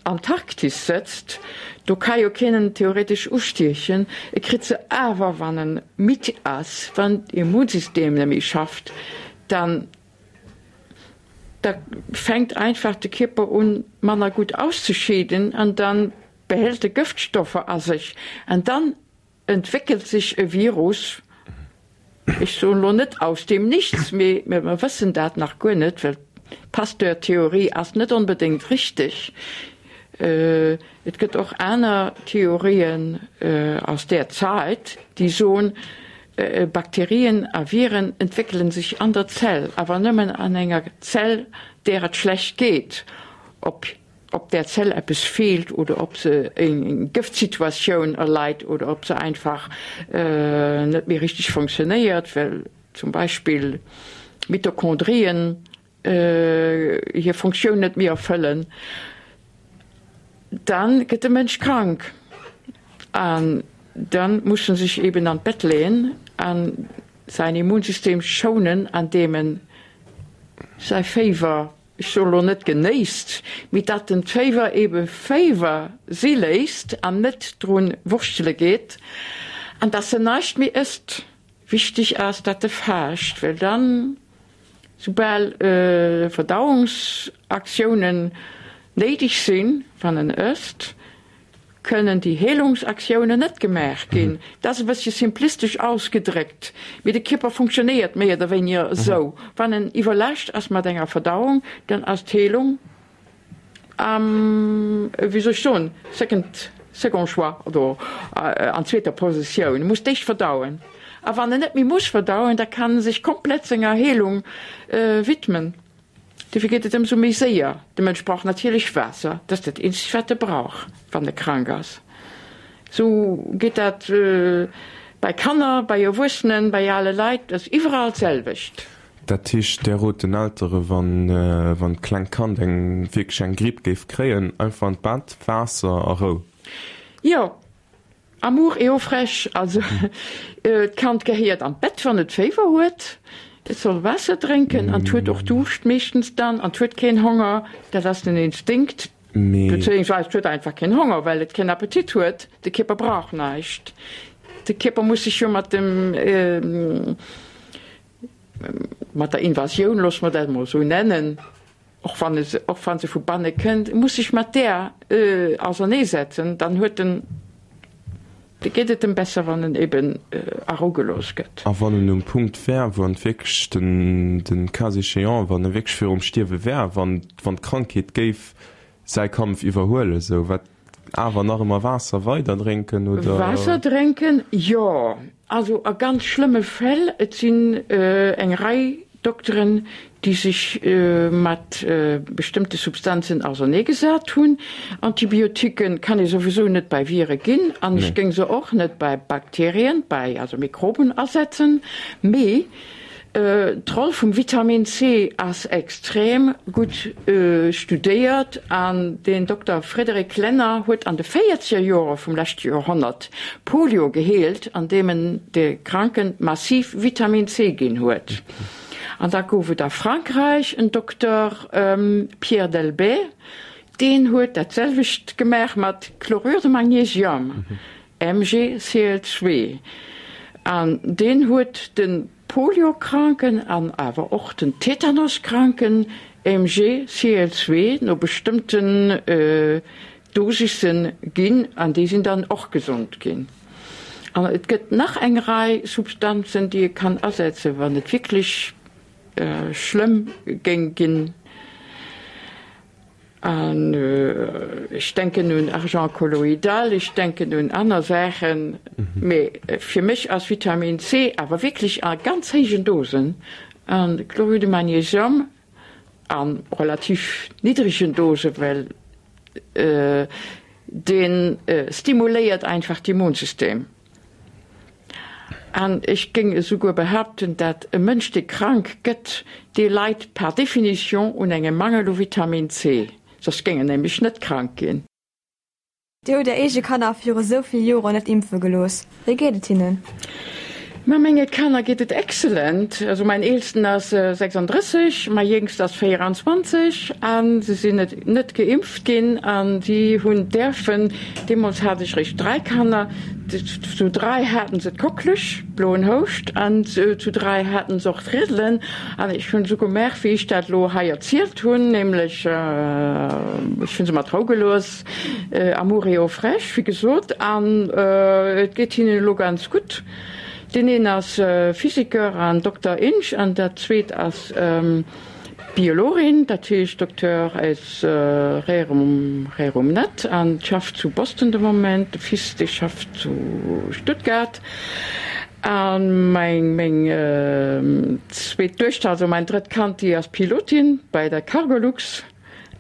Antarktis sëtzt, do ka jo keen en theoretesch ustiechen, e kritt se awer wann en midd ass, wann d'Immunsystem net méi schafft, dann da fänkt einfach de Kierper un manner gutt auszescheeden an dann behält e Gëftstoffer a sech an dann entwéckelt sech e Virus, ech soen elo net aus dem Nichts, mee mir wëssen dat nach guer net, well d'Pasteur-Theorie ass net onbedéngt richteg. Et gëtt och aner Theorien aus där Zait, déi soen, Bakterien a Viren entwéckele sech an der Zell, awer nëmmen an enger Zell, där et schlecht geet. Op ob där Zell eppes feelt oder ob se eng Gëftsituatioun erleit oder ob se einfach net méi richteg fonctionnéiert, well zum Beispill Mitochondrien hir Funktioun net méi erfëllen, da gëtt de Mënsch krank an da muss en sech eben an d'Bett leeën a säin Immunsystem schounen, andeem en säi Féiwer ech soe lo net genéisst, mee datt en d'Féiwer ebe Féiwer si léisst an net drun wurschtele geet an datt en näischt méi ësst. Wichteg ass, datt e faascht, well dann, soubal Verdauungsaktiounen néideg sinn, wann en ësst, kënnen déi Heelungsaktiounen net gemaach ginn. Dat ass e bëssche simplistesch ausgedréckt, mee de Kierper funktionéiert méi oder wéiniger esou. Wann en iwwerlaascht ass mat enger Verdauung, dann ass d'Heelung am, wéi soll ech soen, second, second choix oder an zweeter Positioun. E muss d'éischt verdauen. A wann en net méi muss verdauen, da kann e sech komplett senger Heelung widmen. Dofir geet et ëmsou méi séier. De Mënsch brauch natierlech Waasser, dat ass dat eenzegt wat e brauch wann e krank ass. Sou geet dat bei Kanner, bei Erwuessenen, bei ale Leit, dat ass iwwerall d'selwecht. Dat heescht, Där rot den Eltere wann wann d'klengt Kand eng wierklech eng Gripp géif kréien, einfach an d'Bett, Waasser a Rou? Jo, Amour et eau fraîche, also d'Kand gehéiert an d'Bett wann et Féiwer huet, et soll Waasser drénken an et huet och Duuscht meeschtens dann an et huet keen Honger, dat ass den Instinkt, bezéiungsweis et huet einfach keen Honger well et keen Appetit huet, de Kierper brauch näischt, de Kierper muss sech jo mat dem mat der Invasioun, loosse mer dat emol esou nennen, och wann e och wa se vu banne kënnt, muss sech mat där auserneesetzen, dann huet en, da geet et em besser, wann en eben a Rou gelooss gëtt. A wann en um Punkt wär, wou en wierklech den, den cas échéant, wann e wierklech virum Stierwe wär, wann, wann d'Krankheet géif säi Kampf iwwerhuelen, esou, wat. Awer nach ëmmer Waasser weider drénken, oder? Waasser drénken, jo. Also a ganz schlëmme Fäll, et sinn eng Rei Dokteren, déi sech mat bestëmmte Substanzen auserneegesat hunn. Antibiotiquen kann ee souwisou net bei Vire ginn an ech géing se och net bei Bakterien, bei also Mikroben asetzen. Mee D'Roll vum Vitamin C ass extrem gutt studéiert an den Dokter Frédéric Lenner huet an de véierzeger Jore vum leschte Joerhonnert Polio geheelt, andeem en de Kranken massiv Vitamin C ginn huet. An da gouf et a Frankräich en Dokter Pierre Delbet, deen huet dat selwecht gemaach mat Chlorure de magnésium. MgCl2, an deen huet de Poliokranken an awer och den Tetanoskranken MgCl2 no bestëmmten Dosissen ginn, an déi sinn dann och gesond ginn. An et gëtt nach eng Rei Substanzen, déi ee kann asetzen, wann et wierklech schlëmm géing ginn. An ech denken un Argent colloïdal, ech denken un aner Saachen, mee fir mech ass Vitamin C awer wierklech a ganz héijen Dosen an Chlorure de Magnésium a relativ niddregen Dosen, well dee stimuléiert einfach d'Immunsystem. An ech géing esouguer behaapten, dat e Mënsch, dee krank gëtt, dee leit par définition un engem Mangel u Vitamin C, soss géing en nämlech net krank ginn. Dir hutt Är eege Kanner viru sou vill Joren net impfe gelooss. Wéi geet et hinnen? Ma menge Kanner geet et excellent. Also mäin eelsten ass 36, mäi jéngst ass 24 a se sinn net net geimpft ginn a si hunn däerfen, deemools hat ech réischt 3 Kanner, zu 3 haten se d'Kocklech, bloen Houscht, an zu 3 haten se och d'Riedelen an ech hunn esou gemaach wéi ech dat elo hei erzielt hunn, nämlech ech hunn se mat Rou gelooss, Amour et eau fraîche wéi gesot, an et geet hinnen elo ganz gutt. Deen een ass Physiker an Dokter Ing an dat zweet ass Biologin, dat heescht Docteur aus rerum rerum net an schafft zu Boston de Moment. De Fils dee schafft zu Stuttgart a meng meng zweet Duechter, also mäin drëtt Kand, déi ass Pilotin bei der Cargolux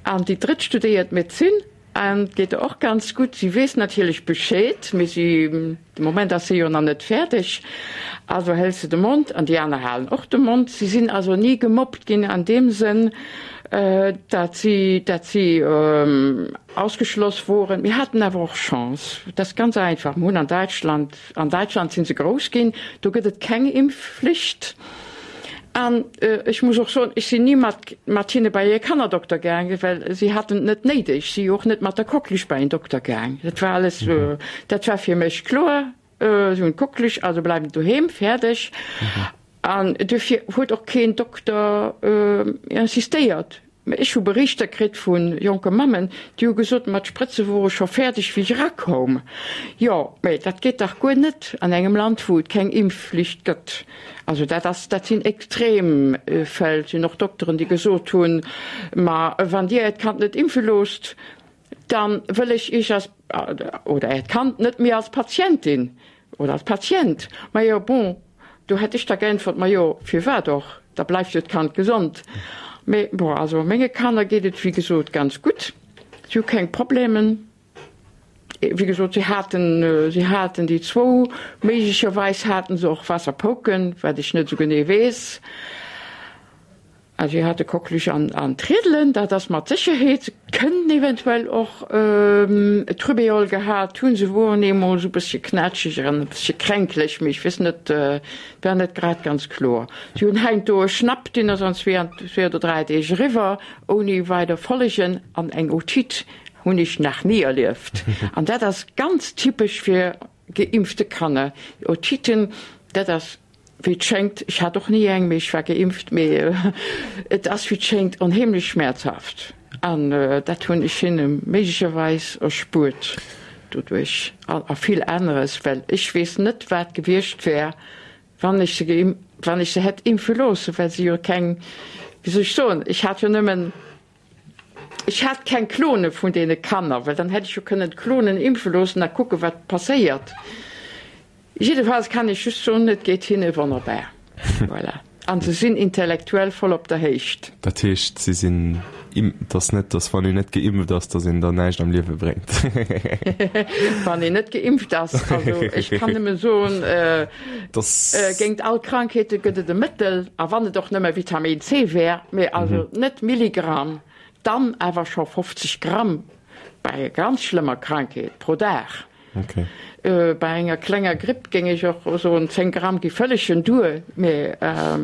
an déi drëtt studéiert Medezin. An et geet der och ganz gutt. Si weess natierlech Bescheed, mee si, de Moment ass si jo nach net fäerdeg, also hält se de Mond an déi aner halen och de Mond. Si sinn also ni gemobbt ginn an deem Sënn, dat si, dat si ausgeschloss woren. Mir haten awer och Chance, dat ass ganz einfach, mir hunn an Däitschland, an Däitschland si se grouss ginn, do gëtt et keng Impfflicht. An ech muss och soen, ech sinn ni mat mat hinne bei e Kannerdokter gaangen, well si haten et net néideg. Si och net mat der Coqueluche bei en Dokter gaang. Dat war alles, dat war fir mech kloer, si hunn d'Coqueluche, also bleiwen doheem, fäerdeg. An duerfir huet och keen Dokter insistéiert. Mä ech hu Berichter kritt vu jonke Mammen, déi hu gesot, ma d'Sprëtze wore scho fäerdeg, wéi ech erakoum. Jo, mä dat geet dach guer net an engem Land, wou et keng Impfflicht gëtt. Also dat ass, dat sinn extrem Fäll. Et sinn och Dokteren, déi gesot hunn, ma wann Dir Äert Kand net impfe loosst, da wëll ech Iech als, oder Äert Kand net méi als Patientin Oder als Patient. Majo, bon, do hätt ech da geäntwert, majo, firwat och, da bleift jo d'Kand gesond. Mee bon, also menge Kanner geet et wéi gesot ganz gutt, si hu keng Problemen. Wéi gesot, si haten, si haten déi zwou, méiglecherweis haten se och Wasserpouken, wat ech net esou genee weess. Also si hate Coqueluche an d'Riedelen, dat ass mat Sécherheet. Se kënnen eventuell och d'Rubéole gehat hunn. Se woren eemol esou e bëssche knätscheg an e bëssche kränklech, mee ech weess net, et war net grad ganz kloer. Si hunn heiansdo e Schnapp, deen ass an zwee oder dräi Deeg eriwwer, ouni weider Follegen. An eng Otite hunn ech nach ni erlieft. An dat ass ganz typesch fir geimpfte Kanner. Otiten, dat ass Wéi et schéngt, ech hat och ni eng, mee ech war geimpft, mee et ass wéi et schéngt onheemlech schmäerzhaft an dat hunn ech hinne méiglecherweis erspuert doduerch a vill aneres, well ech weess net wat gewiescht wär, wann ech se wann ech se hätt impfe loosse, well se jo keng, wéi soll ech soen, ech hat jo nëmmen. Ech hat keng Klone vun deene Kanner, well dann hätt ech jo kënnen d'Klonen impfe loossen a kucke wat passéiert. Jiddefalls kann ech just soen, et geet hinne wonnerbar. Voilà. An se sinn intellektuell voll op der Héicht. Dat heescht, si sinn im, et ass net, datt wann een net geimpft ass, datt een dann näischt am Liewe bréngt. Wann een net geimpft ass, also ech kann nëmme soen, géint all Krankheete gëtt et e Mëttel, a wann et och nëmme Vitamin C wär, mee also net Milligramm, dann awer scho 50 Gramm bei ganz schlëmmer Krankheet pro Dag. Okay. Bei enger klenger Gripp géing ech och soen, 10 Gramm gi vëllegen duer, mee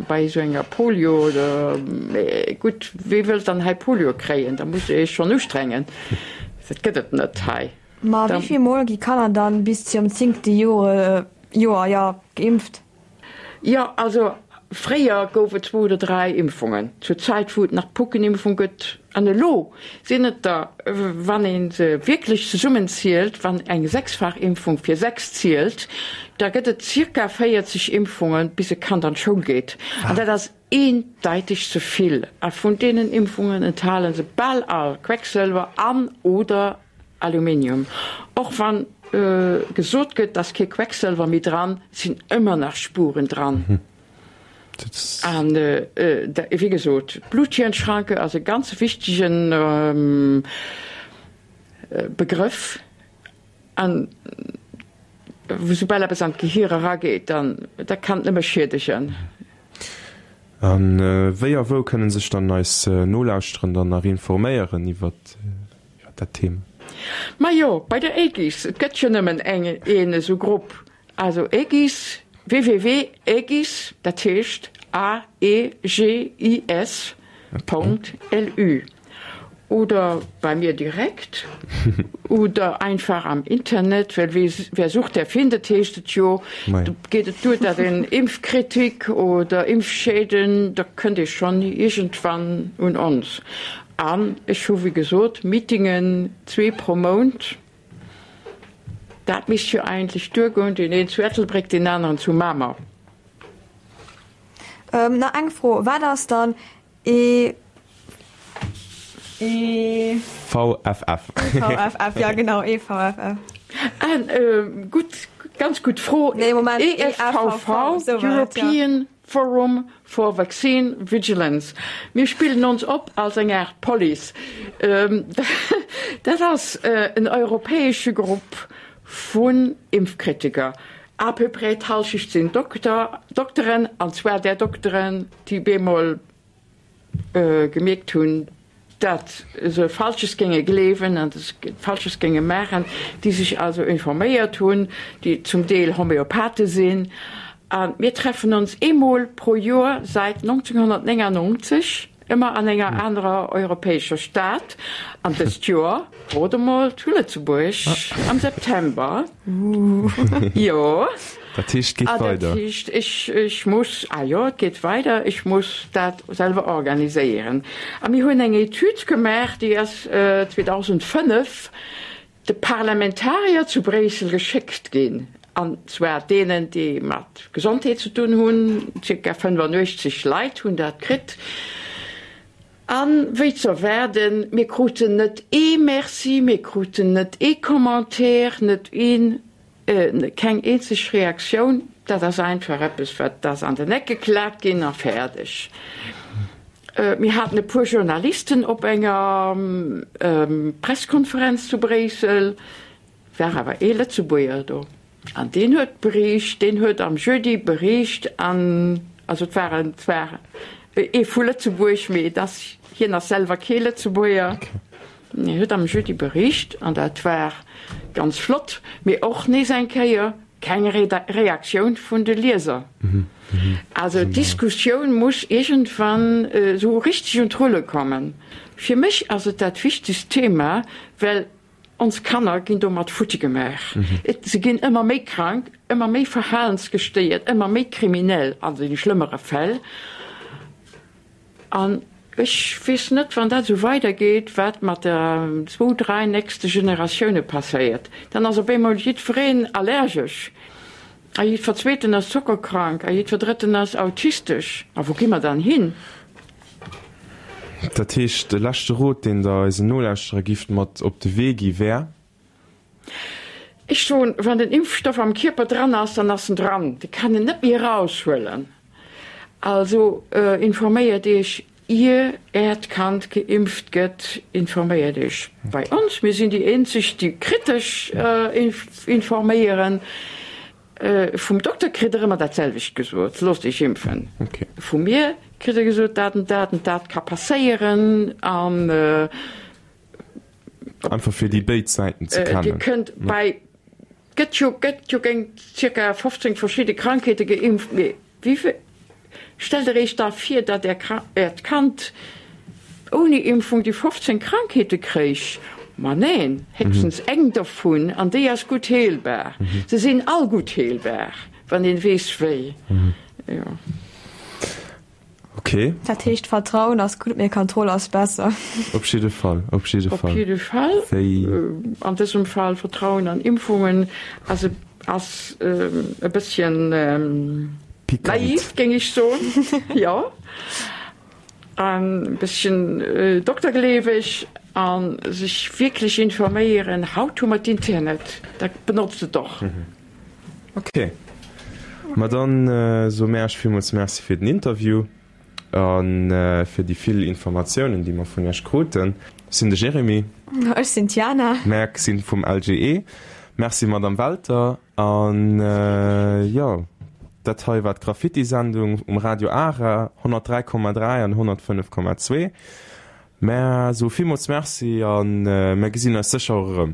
bei esou enger Polio oder, mee gutt, wee wëllt dann hei Polio kréien, da musst Dir Iech schonn ustrengen, dat gëtt et net hei. Ma wéi vill Mol gi Kanner dann bis zu hirem zéngte Joer, jo, geimpft? Jo, also fréier gouf et zwou oder dräi Impfungen, zur Zäit wou et nach d'Puckenimpfung gëtt. An elo sinn et der, wann ee se wierklech zesummenzielt, wann eng Sechsfachimpfung fir 6 zielt, da gëtt et zirka 40 Impfungen, bis e Kand an d'Schoul geet. An dat ass eendeiteg ze vill. A vun deenen Impfungen enthale se bal all Quecksëlwer an, oder Aluminium. Och wann gesot gëtt, dass kee Quecksëlwer méi dran, sinn ëmmer nach Spuren dran. An wéi gesot, d'Blut-Hirn-Schranke ass e ganz wichtege Begrëff. An soubal eppes an d'Gehir erageet, dann dat kann et nëmme schiedegen. A wéi a wou kënnen sech dann eis Nolauschterender dann nach informéieren iwwer dat Thema? Majo, bei der AEGIS, et gëtt jo nëmmen eng, een esou Grupp, also AEGIS, www.aegis, dat heescht A-E-G-I-S Punkt L-U. Oder bei mir direkt oder einfach am Internet, well wer sucht, der findet, heescht et jo. Do geet et duer, datt een Impfkritik oder Impfschäden, da kënnt ee schonn iergendwann un ons. An ech hu wéi gesot Meetingen, zwee pro Mount. Dat misst jo eigentlech duergoen, deen een zu Ettelbréck, deen aneren zu Mamer. Nach eng Fro, Wat ass dann E E VFF. EVFF, ja genau, EVFF. Ah, gutt, ganz gutt Fro. Nee, Moment, EFVV, European Forum for Vaccine Vigilance. Mir spillen ons op als eng Aart Police. Dat ass en europäesche Grupp vun Impfkritiker. À peu près d'Hallschecht sinn Dokter, Dokteren, an zwar där Dokteren, déi bemol gemierkt hunn, dat se Falsches géinge gleewen an Falsches géinge maachen, déi sech also informéiert hunn, déi zum Deel Homeopathe sinn. A mir treffen ons eemol pro Joer säit 1999, ëmmer an enger anerer europäescher Stad. An dëst Joer, rot emol, zu Lëtzebuerg am September. Jo. Dat heescht, et geet weider. Dat heescht, ech, ech muss, ah jo, et geet weider, ech muss dat selwer organiséieren. A mir hunn eng Etüd gemaach, déi ass 2005 de Parlamentarier zu Bréissel geschéckt ginn, an zwar deenen, déi mat Gesondheet ze dun hunn, zirka 85 Leit hunn dat kritt. A wéi ze erwaarden, mir kruten net ee Merci, mir kruten net ee Commentaire, net een Keng eenzeg Reaktioun. Dat ass einfach eppes, wat ass an den Eck geklaakt ginn a fäerdeg. Mir haten e puer Journalisten op enger Presskonferenz zu Bréissel, war awer ee Lëtzebuerger do an deen huet bericht, deen huet am Jeudi bericht an, also et war en zwar ee vu Lëtzebuerg, mee et ass, hien ass selwer kee Lëtzebuerger. Hien huet am Jeudi bericht, an dat war ganz flott, mee och nees eng Kéier keng Reaktioun vun de Lieser. Also d'Diskussioun muss iergendwann esou richteg un d'Rulle kommen. Fir mech ass et dat wichtegst Thema, well ons Kanner ginn domat futti gemaach. Se ginn ëmmer méi krank, ëmmer méi verhalensgestéiert, ëmmer méi kriminell an de schlëmmere Fäll. An ech weess net, wann dat esou weidergeet, wat mat der zwou, dräi nächste Generatioune passéiert. Dann ass op eemol jiddwereen allergesch a jiddwer Zweeten ass zockerkrank a jiddwer Drëtten ass autistesch. A wou gi mer dann hin? Dat heescht, de leschte Rot, deen Der eisen Nolauschterer gifft mat op de Wee gi wär? Ech soen, wann den Impfstoff am Kierper dran ass, dann ass en dran. Dir kann en net méi eraushuelen. Also informéiert Iech, ier Äert Kand geimpft gëtt, informéiert Iech bei ons. Mir sinn déi eenzeg, déi kritesch informéieren. Vum Dokter kritt Der ëmmer dat selwecht gesot, Loosst Iech impfen. Vu mir kritt Der gesot, dat an dat an dat ka passéieren an. Einfach fir déi béid Säiten ze kennen. Dir kënnt bei, gëtt jo, gëtt jo géint zirka 15 verschidde Krankheete geimpft, mee wéi, stellt der Iech da vir, datt Är, Äert Kand ouni Impfung déi 15 Krankheete kréich? Ma neen, héchstens eng dovun, an déi ass gutt heelbar. Se sinn all gutt heelbar, wann een weess wéi. Jo. Ok. Dat heescht Vertrauen ass gutt, mee Kontroll ass besser. Op jidde Fall, op jidde Fall. Op jidde Fall. Wéi. An dësem Fall Vertrauen an Impfungen ass e ass e bësschen naiv, géing ech soen, jo. E bësschen doktergleeweg a sech wierklech informéieren. Haut hu mer d'Internet, da benotzt et och. Ok, ma dann soe mär Iech villmools Merci fir den Interview a fir déi vill Informatiounen, déi mer vun Iech kruten. Ech sinn de Jérémy. Ech sinn d'Jana. Mär sinn vum LGE. Merci Madame Welter. An jo, dat hei war d'Graffiti-Sendung um Radio Ara 103,3 an 105,2. Mär soe villmools Merci a mär gesinn eis sécher och erëm.